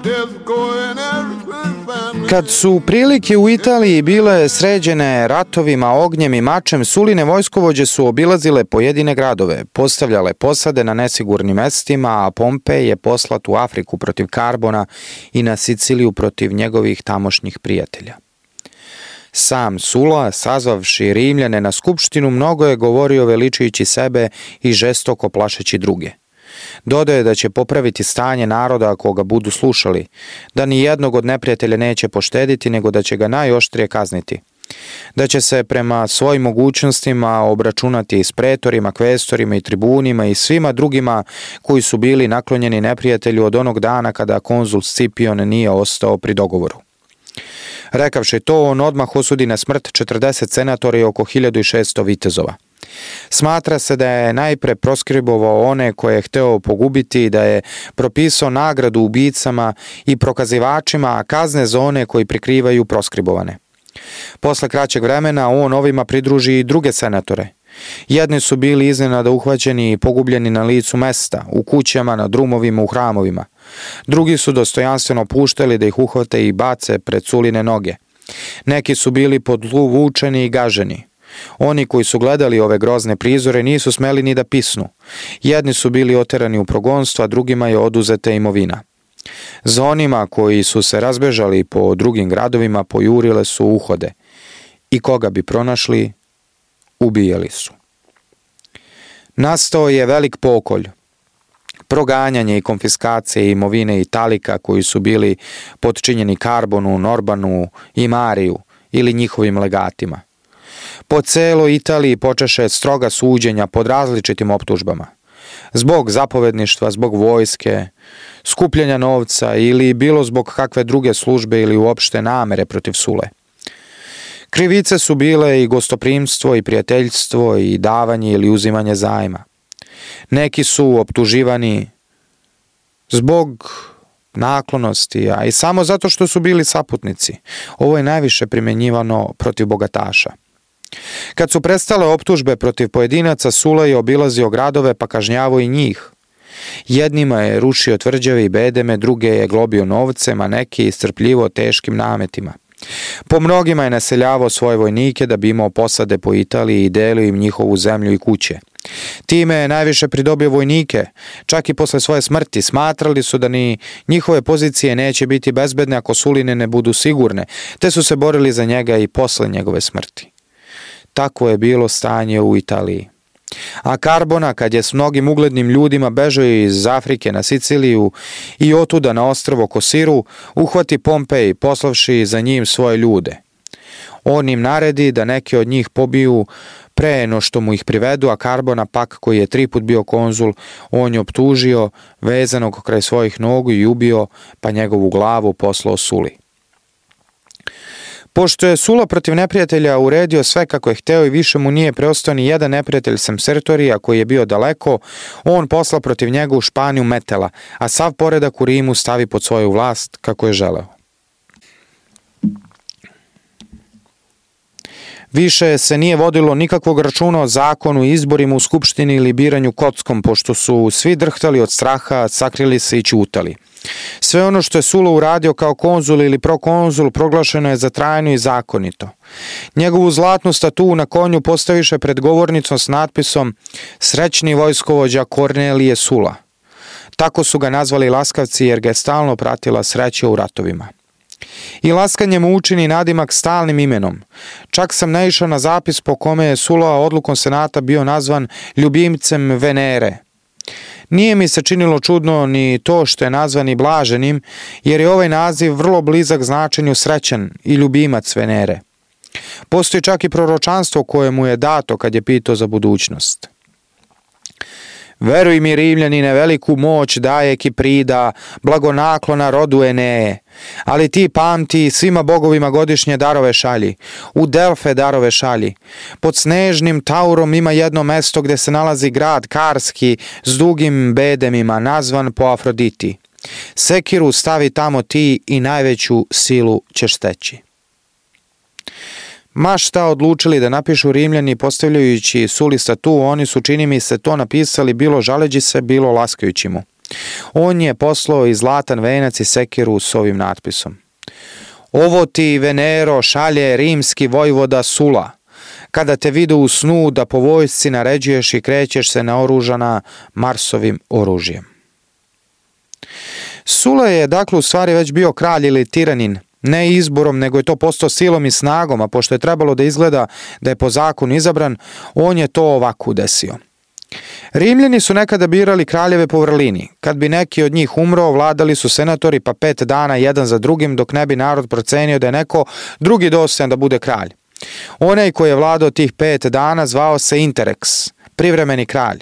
Death will go in every family. Kad su prilike u Italiji bile sređene ratovima, ognjem i mačem, Suline vojskovođe su obilazile pojedine gradove, postavljale posade na nesigurnim mestima, a Pompej je poslat u Afriku protiv Karbona i na Siciliju protiv njegovih tamošnjih prijatelja. Sam Sula, sazvavši Rimljane na skupštinu, mnogo je govorio veličujući sebe i žestoko plašeći druge. Dodaje da će popraviti stanje naroda ako ga budu slušali, da ni jednog od neprijatelja neće poštediti, nego da će ga najoštrije kazniti, da će se prema svojim mogućnostima obračunati s pretorima, kvestorima i tribunima i svima drugima koji su bili naklonjeni neprijatelju od onog dana kada konzul Scipion nije ostao pri dogovoru. Rekavši to, on odmah osudi na smrt četrdeset senatora i oko hiljadu šesto vitezova. Smatra se da je najpre proskribovao one koje je hteo pogubiti i da je propisao nagradu ubicama i prokazivačima, a kazne za one koji prikrivaju proskribovane. Posle kraćeg vremena on ovima pridruži i druge senatore. Jedni su bili iznenada uhvaćeni i pogubljeni na licu mesta, u kućama, na drumovima, u hramovima. Drugi su dostojanstveno puštali da ih uhvate i bace pred Suline noge. Neki su bili podvučeni i gaženi. Oni koji su gledali ove grozne prizore nisu smeli ni da pisnu. Jedni su bili oterani u progonstvo, a drugima je oduzeta imovina. Za onima koji su se razbežali po drugim gradovima pojurile su uhode i koga bi pronašli, ubijali su. Nastao je velik pokolj, proganjanje i konfiskacije imovine Italika koji su bili podčinjeni Karbonu, Norbanu i Mariju ili njihovim legatima. Po celoj Italiji počeše stroga suđenja pod različitim optužbama. Zbog zapovedništva, zbog vojske, skupljanja novca ili bilo zbog kakve druge službe ili uopšte namere protiv Sule. Krivice su bile i gostoprimstvo i prijateljstvo i davanje ili uzimanje zajma. Neki su optuživani zbog naklonosti, a i samo zato što su bili saputnici. Ovo je najviše primenjivano protiv bogataša. Kad su prestale optužbe protiv pojedinaca, Sula je obilazio gradove pa kažnjavao i njih. Jednima je rušio tvrđave i bedeme, druge je globio novcem, a neki iscrpljivo teškim nametima. Po mnogima je naseljavao svoje vojnike da bi imao posade po Italiji i delio im njihovu zemlju i kuće. Time je najviše pridobio vojnike, čak i posle svoje smrti. Smatrali su da ni njihove pozicije neće biti bezbedne ako Suline ne budu sigurne, te su se borili za njega i posle njegove smrti. Takvo je bilo stanje u Italiji. A Karbona, kad je s mnogim uglednim ljudima bežao iz Afrike na Siciliju i otuda na ostrvo Kosiru, uhvati Pompej, poslavši za njim svoje ljude. On im naredi da neke od njih pobiju pre no što mu ih privedu, a Karbona pak, koji je tri put bio konzul, on je optužio vezanog kraj svojih nogu i ubio, pa njegovu glavu poslao Suli. Pošto je Sula protiv neprijatelja uredio sve kako je hteo i više mu nije preostao ni jedan neprijatelj sem Sertorija koji je bio daleko, on posla protiv njega u Španiju Metela, a sav poredak u Rimu stavi pod svoju vlast kako je želeo. Više se nije vodilo nikakvog računa o zakonu, izborima u skupštini ili biranju kockom, pošto su svi drhtali od straha, sakrili se i ćutali. Sve ono što je Sula uradio kao konzul ili prokonzul proglašeno je za trajno i zakonito. Njegovu zlatnu statu na konju postaviše pred govornicom s natpisom "Srećni vojskovođa Kornelije Sula". Tako su ga nazvali laskavci jer ga je stalno pratila sreća u ratovima. I laskanje mu učini nadimak stalnim imenom. Čak sam naišao na zapis po kome je Sula odlukom senata bio nazvan ljubimcem Venere. Nije mi se činilo čudno ni to što je nazvan i blaženim, jer je ovaj naziv vrlo blizak značenju srećan i ljubimac Venere. Postoji čak i proročanstvo koje mu je dato kad je pitao za budućnost. Veruj mi, Rimljanine, veliku moć daje Kiprida, blagonaklona rodu Eneje, ali ti pamti, svima bogovima godišnje darove šalji, u Delfe darove šalji. Pod snežnim Taurom ima jedno mesto gde se nalazi grad Karski s dugim bedemima, nazvan po Afroditi. Sekiru stavi tamo ti i najveću silu ćeš steći. Ma šta odlučili da napišu Rimljani postavljajući Suli statu, oni su, čini mi se, to napisali bilo žaleći se, bilo laskajući mu. On je poslao i zlatan venac i sekiru s ovim natpisom. Ovo ti, Venero, šalje rimski vojvoda Sula, kada te vidu u snu da po vojsci naređuješ i krećeš se naoružana Marsovim oružjem. Sula je dakle u stvari već bio kralj ili tiranin, ne izborom, nego je to postao silom i snagom, a pošto je trebalo da izgleda da je po zakonu izabran, on je to ovako desio. Rimljani su nekada birali kraljeve po vrlini. Kad bi neki od njih umro, vladali su senatori pa pet dana jedan za drugim, dok ne bi narod procenio da je neko drugi dostojan da bude kralj. Onaj koji je vladao tih pet dana zvao se Interrex, privremeni kralj,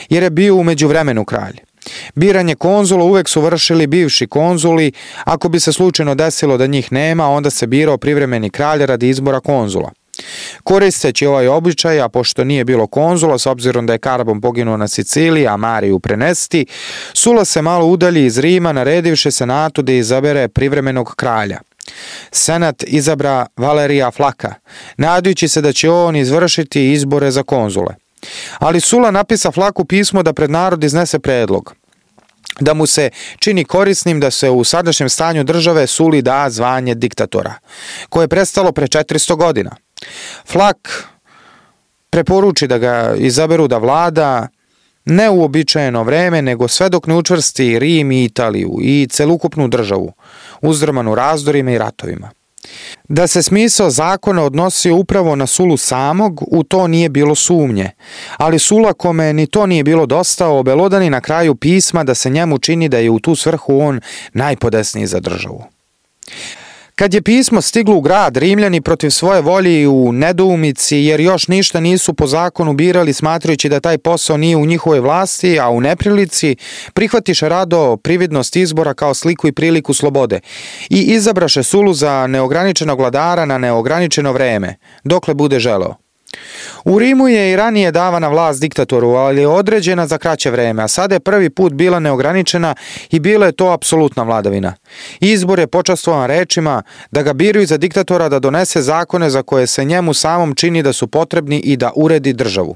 jer je bio u međuvremenu kralj. Biranje konzula uvek su vršili bivši konzuli, ako bi se slučajno desilo da njih nema, onda se birao privremeni kralj radi izbora konzula. Koristeći ovaj običaj, a pošto nije bilo konzula, s obzirom da je Karbon poginuo na Siciliji, a Mariju prenesti, Sula se malo udalji iz Rima, naredivši senatu da izabere privremenog kralja. Senat izabra Valerija Flaka, nadajući se da će on izvršiti izbore za konzule. Ali Sula napisa Flaku pismo da pred narod iznese predlog, da mu se čini korisnim da se u sadašnjem stanju države Suli da zvanje diktatora, koje je prestalo pre četiristo godina. Flak preporuči da ga izaberu da vlada ne u uobičajeno vreme, nego sve dok ne učvrsti Rim i Italiju i celokupnu državu, uzdrmanu razdorima i ratovima. Da se smisao zakona odnosio upravo na Sulu samog, u to nije bilo sumnje, ali Sula, kome ni to nije bilo dosta, obelodani na kraju pisma da se njemu čini da je u tu svrhu on najpodesniji za državu. Kad je pismo stiglo u grad, Rimljani protiv svoje volje u nedoumici, jer još ništa nisu po zakonu birali, smatrajući da taj posao nije u njihovoj vlasti, a u neprilici, prihvatiše rado prividnost izbora kao sliku i priliku slobode i izabraše Sulu za neograničenog vladara na neograničeno vreme, dokle bude želeo. U Rimu je i ranije davana vlast diktatoru, ali je određena za kraće vreme, a sada je prvi put bila neograničena i bila je to apsolutna vladavina. Izbor je počastvovan rečima da ga biraju za diktatora da donese zakone za koje se njemu samom čini da su potrebni i da uredi državu.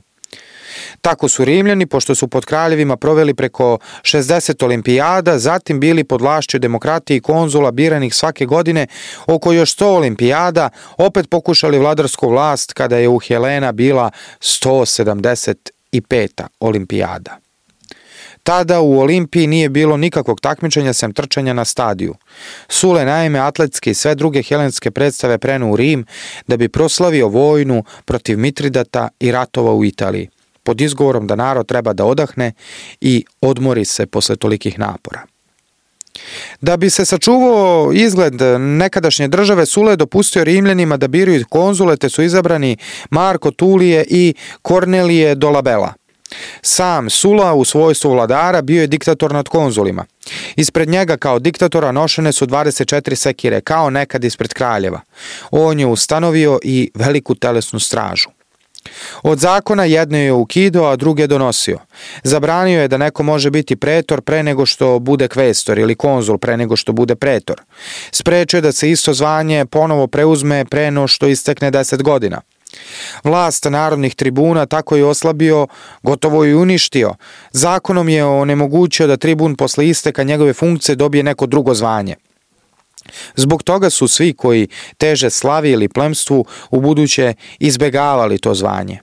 Tako su Rimljani, pošto su pod kraljevima proveli preko šezdeset olimpijada, zatim bili pod vlašću demokratije i konzula biranih svake godine, oko još sto olimpijada, opet pokušali vladarsku vlast kada je u Helena bila sto sedamdeset peta olimpijada. Tada u Olimpiji nije bilo nikakvog takmičenja sem trčanja na stadiju. Sule naime atletske i sve druge helenske predstave prenuo u Rim da bi proslavio vojnu protiv Mitridata i ratova u Italiji, pod izgovorom da narod treba da odahne i odmori se posle tolikih napora. Da bi se sačuvao izgled nekadašnje države, Sula je dopustio Rimljanima da biraju konzule, te su izabrani Marko Tulije i Kornelije Dolabella. Sam Sula u svojstvu vladara bio je diktator nad konzulima. Ispred njega kao diktatora nošene su dvadeset četiri sekire, kao nekad ispred kraljeva. On je ustanovio i veliku telesnu stražu. Od zakona jedne je ukidao, a druge donosio. Zabranio je da neko može biti pretor pre nego što bude kvestor ili konzul pre nego što bude pretor. Sprečio je da se isto zvanje ponovo preuzme pre no što istekne deset godina. Vlast narodnih tribuna tako je oslabio, gotovo i uništio. Zakonom je onemogućio da tribun posle isteka njegove funkcije dobije neko drugo zvanje. Zbog toga su svi koji teže slavi ili plemstvu u buduće izbegavali to zvanje.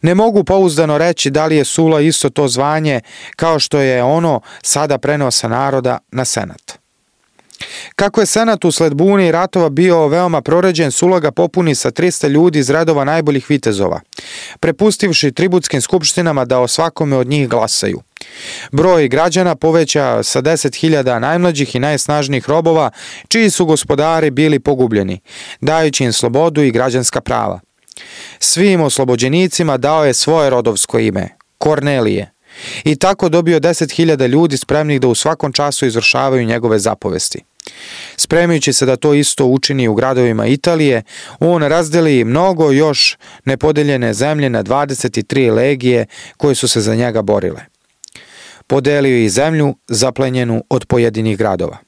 Ne mogu pouzdano reći da li je Sula isto to zvanje kao što je ono sada preneo sa naroda na senat. Kako je senat usled bune i ratova bio veoma proređen, Sula ga popuni sa trista ljudi iz redova najboljih vitezova, prepustivši tributskim skupštinama da o svakome od njih glasaju. Broj građana poveća sa deset hiljada najmlađih i najsnažnijih robova, čiji su gospodari bili pogubljeni, dajući im slobodu i građanska prava. Svim oslobođenicima dao je svoje rodovsko ime, Kornelije, i tako dobio deset hiljada ljudi spremnih da u svakom času izvršavaju njegove zapovesti. Spremajući se da to isto učini u gradovima Italije, on razdeli mnogo još nepodeljene zemlje na dvadeset tri legije koje su se za njega borile. Podelio i zemlju zaplenjenu od pojedinih gradova.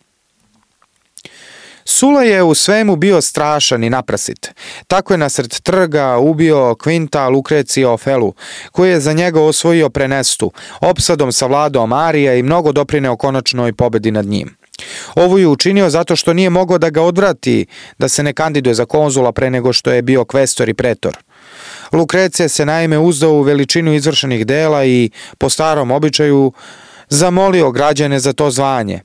Sula je u svemu bio strašan i naprasit. Tako je nasred trga ubio Quinta Lucrecia Ofelu, koji je za njega osvojio Prenestu, opsadom savladao Marija i mnogo doprineo konačnoj pobedi nad njim. Ovo je učinio zato što nije mogao da ga odvrati da se ne kandiduje za konzula pre nego što je bio kvestor i pretor. Lucrecija se naime uzdao u veličinu izvršenih dela i po starom običaju zamolio građane za to zvanje.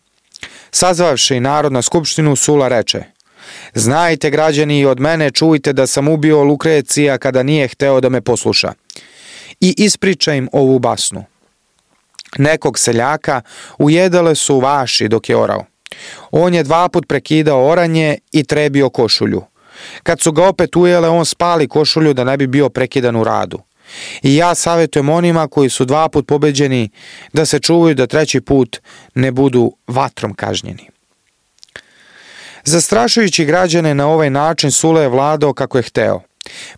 Sazvavši narod na skupštinu, Sula reče: "Znajte, građani, i od mene čujte da sam ubio Lucrecija kada nije hteo da me posluša." I ispriča im ovu basnu. Nekog seljaka ujedale su vaši dok je orao. On je dva put prekidao oranje i trebio košulju. Kad su ga opet ujele, on spali košulju da ne bi bio prekidan u radu. I ja savjetujem onima koji su dva put pobeđeni da se čuvaju da treći put ne budu vatrom kažnjeni. Zastrašujući građane na ovaj način, Sula je vladao kako je hteo.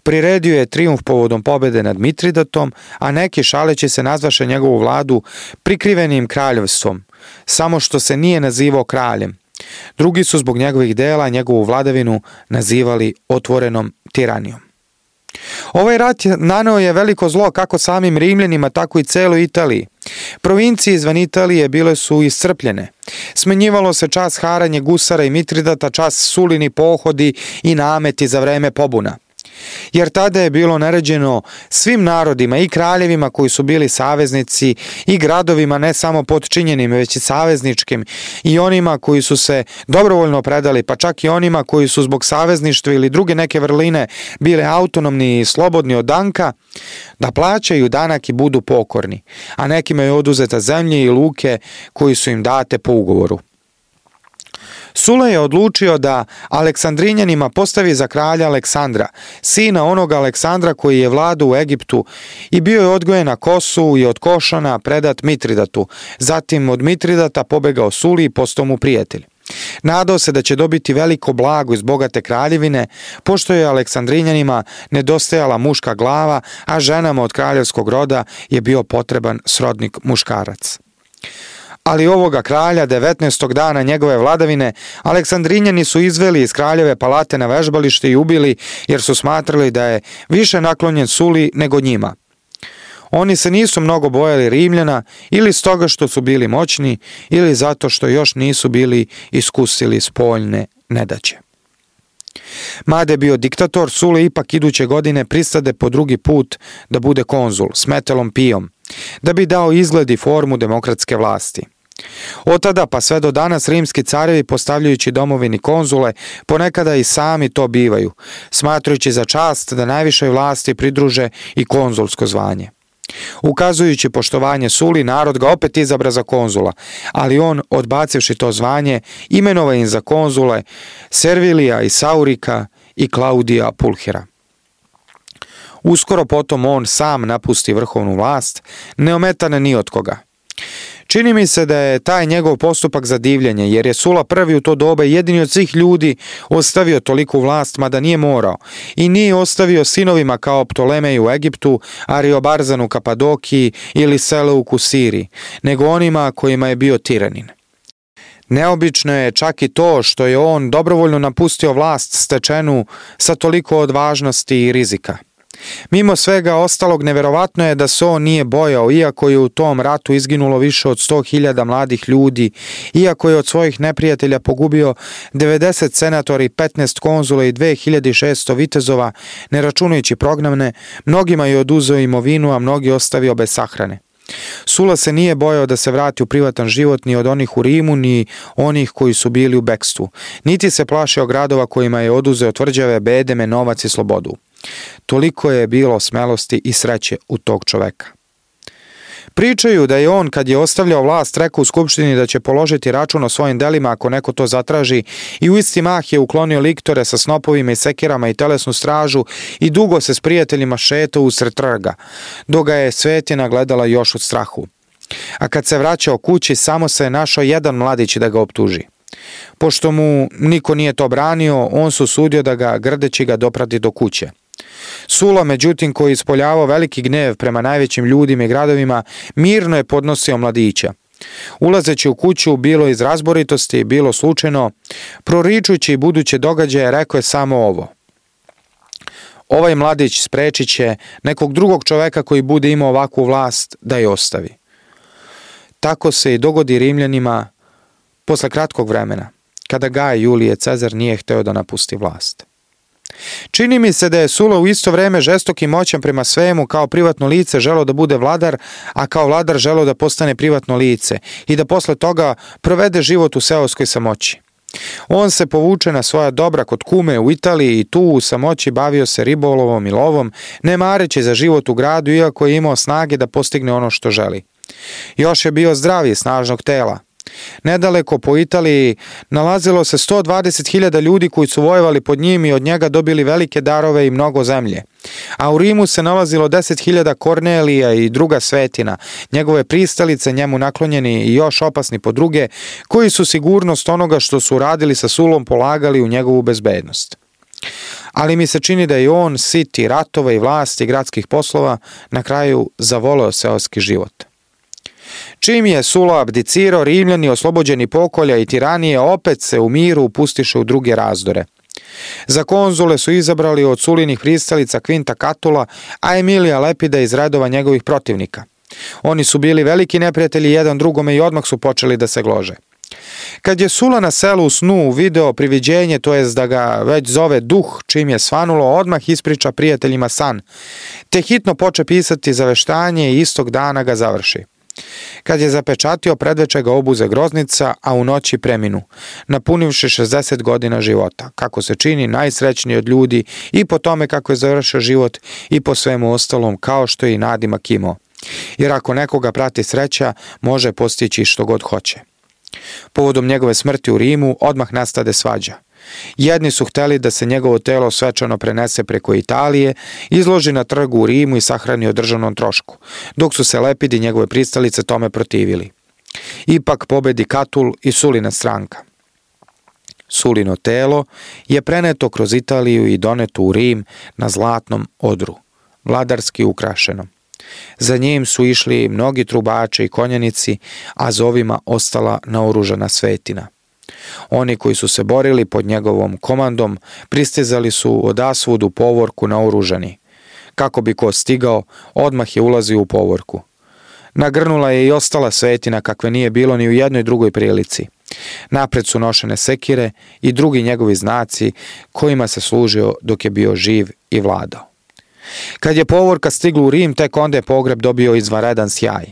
Priredio je trijumf povodom pobede nad Mitridatom, a neki šaleći se nazvaše njegovu vladu prikrivenim kraljevstvom, samo što se nije nazivao kraljem. Drugi su zbog njegovih dela njegovu vladavinu nazivali otvorenom tiranijom. Ovaj rat naneo je veliko zlo kako samim Rimljanima, tako i celoj Italiji. Provincije izvan Italije bile su iscrpljene. Smenjivalo se čas haranje gusara i Mitridata, čas Sulini pohodi i nameti za vreme pobuna. Jer tada je bilo naređeno svim narodima i kraljevima koji su bili saveznici i gradovima ne samo podčinjenim već i savezničkim i onima koji su se dobrovoljno predali, pa čak i onima koji su zbog savezništva ili druge neke vrline bile autonomni i slobodni od danka, da plaćaju danak i budu pokorni, a nekima je oduzeta zemlje i luke koji su im date po ugovoru. Sula je odlučio da Aleksandrinjanima postavi za kralja Aleksandra, sina onoga Aleksandra koji je vladao u Egiptu i bio je odgojen na Kosu i od Košana predat Mitridatu, zatim od Mitridata pobegao Suli i postao mu prijatelj. Nadao se da će dobiti veliko blago iz bogate kraljevine, pošto je Aleksandrinjanima nedostajala muška glava, a ženama od kraljevskog roda je bio potreban srodnik muškarac. Ali ovoga kralja, devetnaestog dana njegove vladavine, Aleksandrinjani su izveli iz kraljeve palate na vežbalište i ubili, jer su smatrali da je više naklonjen Suli nego njima. Oni se nisu mnogo bojali Rimljana, ili stoga što su bili moćni, ili zato što još nisu bili iskusili spoljne nedaće. Mada je bio diktator, Sula ipak iduće godine pristade po drugi put da bude konzul s Metelom Pijom, da bi dao izgled i formu demokratske vlasti. Od tada pa sve do danas rimski carevi, postavljajući domovini konzule, ponekada i sami to bivaju, smatrajući za čast da najvišoj vlasti pridruže i konzulsko zvanje. Ukazujući poštovanje Suli, narod ga opet izabra za konzula, ali on, odbacivši to zvanje, imenova im za konzule Servilija i Saurika i Klaudija Pulhira. Uskoro potom on sam napusti vrhovnu vlast, neometan ni od koga. Čini mi se da je taj njegov postupak za divljenje, jer je Sula prvi u to doba jedini od svih ljudi ostavio toliku vlast, mada nije morao, i nije ostavio sinovima kao Ptolemej u Egiptu, Ariobarzan u Kapadokiji ili Seleuk u Siriji, nego onima kojima je bio tiranin. Neobično je čak i to što je on dobrovoljno napustio vlast stečenu sa toliko odvažnosti i rizika. Mimo svega ostalog, neverovatno je da se on nije bojao, iako je u tom ratu izginulo više od sto hiljada mladih ljudi, iako je od svojih neprijatelja pogubio devedeset senatora i petnaest konzula i dve hiljade šesto vitezova, ne računajući prognane, mnogima je oduzeo imovinu, a mnogi ostavio bez sahrane. Sula se nije bojao da se vrati u privatan život ni od onih u Rimu, ni onih koji su bili u bekstvu, niti se plašio gradova kojima je oduzeo tvrđave, bedeme, novac i slobodu. Toliko je bilo smelosti i sreće u tog čoveka. Pričaju da je on, kad je ostavljao vlast, rekao u skupštini da će položiti račun o svojim delima ako neko to zatraži, i u isti mah je uklonio liktore sa snopovima i sekirama i telesnu stražu i dugo se s prijateljima šetao usred trga, dok ga je Svetina gledala još od strahu. A kad se vraćao kući, samo se je našao jedan mladić da ga optuži. Pošto mu niko nije to branio, on se usudio da ga, grdeći ga, doprati do kuće. Sula, međutim, koji je ispoljavao veliki gnev prema najvećim ljudima i gradovima, mirno je podnosio mladića. Ulazeći u kuću, bilo iz razboritosti, bilo slučajno, proričujući buduće događaje, rekao je samo ovo: ovaj mladić sprečit će nekog drugog čoveka koji bude imao ovakvu vlast da je ostavi. Tako se i dogodi Rimljanima posle kratkog vremena, kada Gaj Julije Cezar nije hteo da napusti vlast. Čini mi se da je Sula u isto vreme žestok i moćan prema svemu, kao privatno lice želeo da bude vladar, a kao vladar želeo da postane privatno lice i da posle toga provede život u seoskoj samoći. On se povuče na svoja dobra kod kume u Italiji i tu u samoći bavio se ribolovom i lovom, ne mareći za život u gradu, iako je imao snage da postigne ono što želi. Još je bio zdrav i snažnog tela. Nedaleko po Italiji nalazilo se sto dvadeset hiljada ljudi koji su vojevali pod njim i od njega dobili velike darove i mnogo zemlje. A u Rimu se nalazilo deset hiljada Kornelija i druga svetina, njegove pristalice, njemu naklonjeni i još opasni po druge, koji su sigurnost onoga što su radili sa Sulom polagali u njegovu bezbednost. Ali mi se čini da je on, siti ratova i vlasti gradskih poslova, na kraju zavoleo seoski život. Čim je Sulo abdicirao, Rimljani, oslobođeni pokolja i tiranije, opet se u miru upustiše u druge razdore. Za konzule su izabrali od Sulinih pristalica Quinta Catula, a Emilija Lepida iz redova njegovih protivnika. Oni su bili veliki neprijatelji jedan drugome i odmah su počeli da se glože. Kad je Sula na selu u snu video priviđenje, to jest da ga već zove duh, čim je svanulo, odmah ispriča prijateljima san, te hitno poče pisati zaveštanje i istog dana ga završi. Kad je zapečatio, predveče ga obuze groznica, a u noći preminu, napunivši šezdeset godina života, kako se čini najsrećniji od ljudi i po tome kako je završio život i po svemu ostalom, kao što je i nadimak imao. Jer ako nekoga prati sreća, može postići što god hoće. Povodom njegove smrti u Rimu odmah nastade svađa. Jedni su hteli da se njegovo telo svečano prenese preko Italije, izloži na trgu u Rimu i sahrani o državnom trošku, dok su se Lepid i njegove pristalice tome protivili. Ipak pobedi Katul i Sulina stranka. Sulino telo je preneto kroz Italiju i doneto u Rim na zlatnom odru, vladarski ukrašenom. Za njim su išli mnogi trubači i konjanici, a za ovima ostala naoružana svetina. Oni koji su se borili pod njegovom komandom pristizali su odasvud u povorku naoružani. Kako bi ko stigao, odmah je ulazio u povorku. Nagrnula je i ostala svetina kakve nije bilo ni u jednoj drugoj prilici. Napred su nošene sekire i drugi njegovi znaci kojima se služio dok je bio živ i vladao. Kad je povorka stigla u Rim, tek onda je pogreb dobio izvanredan sjaj.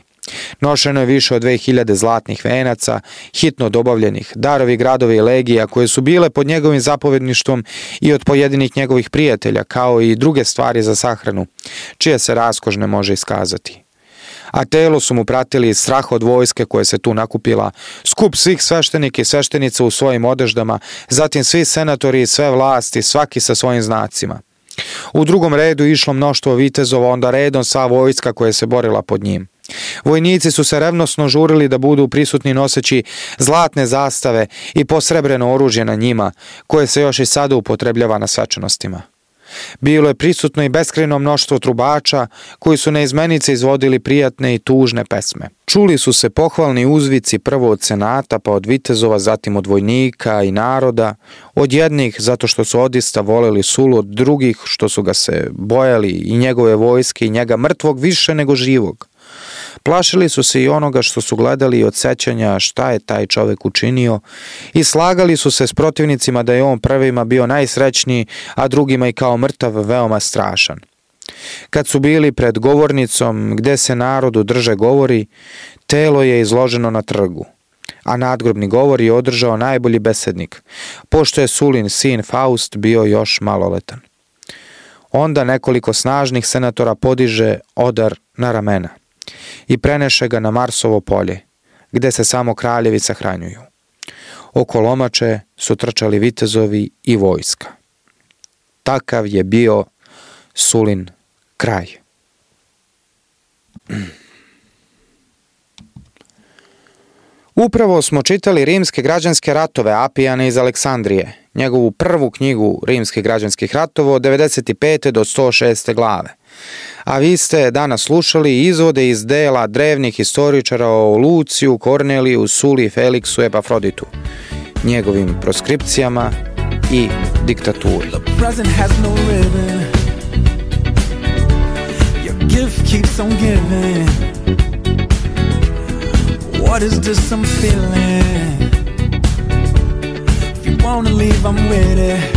Nošeno je više od dve hiljade zlatnih venaca, hitno dobavljenih, darovi gradova i legija koje su bile pod njegovim zapovedništvom i od pojedinih njegovih prijatelja, kao i druge stvari za sahranu, čije se raskoš ne može iskazati. A telo su mu pratili strah od vojske koje se tu nakupila, skup svih sveštenika i sveštenica u svojim odeždama, zatim svi senatori i sve vlasti, svaki sa svojim znacima. U drugom redu išlo mnoštvo vitezova, onda redom sva vojska koja se borila pod njim. Vojnici su se revnosno žurili da budu prisutni noseći zlatne zastave i posrebreno oružje na njima, koje se još i sada upotrebljava na svečanostima. Bilo je prisutno i beskrajno mnoštvo trubača koji su neizmenice izvodili prijatne i tužne pesme. Čuli su se pohvalni uzvici prvo od senata, pa od vitezova, zatim od vojnika i naroda, od jednih zato što su odista voleli Sulu, od drugih što su ga se bojali i njegove vojske i njega mrtvog više nego živog. Plašili su se i onoga što su gledali od sećanja šta je taj čovek učinio i slagali su se s protivnicima da je on prvima bio najsrećniji, a drugima i kao mrtav veoma strašan. Kad su bili pred govornicom gde se narodu drže govori, telo je izloženo na trgu, a nadgrobni govor je održao najbolji besednik, pošto je Sulin sin Faust bio još maloletan. Onda nekoliko snažnih senatora podiže odar na ramena i preneše ga na Marsovo polje, gde se samo kraljevi sahranjuju. Oko lomače su trčali vitezovi i vojska. Takav je bio Sulin kraj. Upravo smo čitali Rimske građanske ratove Apijana iz Aleksandrije, njegovu prvu knjigu Rimskih građanskih ratova od devedeset pete do sto šeste glave. A vi ste danas slušali izvode iz dela drevnih historičara o Luciju, Korneliju, Suli, Feliksu, Epafroditu, njegovim proskripcijama i diktaturi. What is this I'm feeling? If you wanna leave, I'm with it.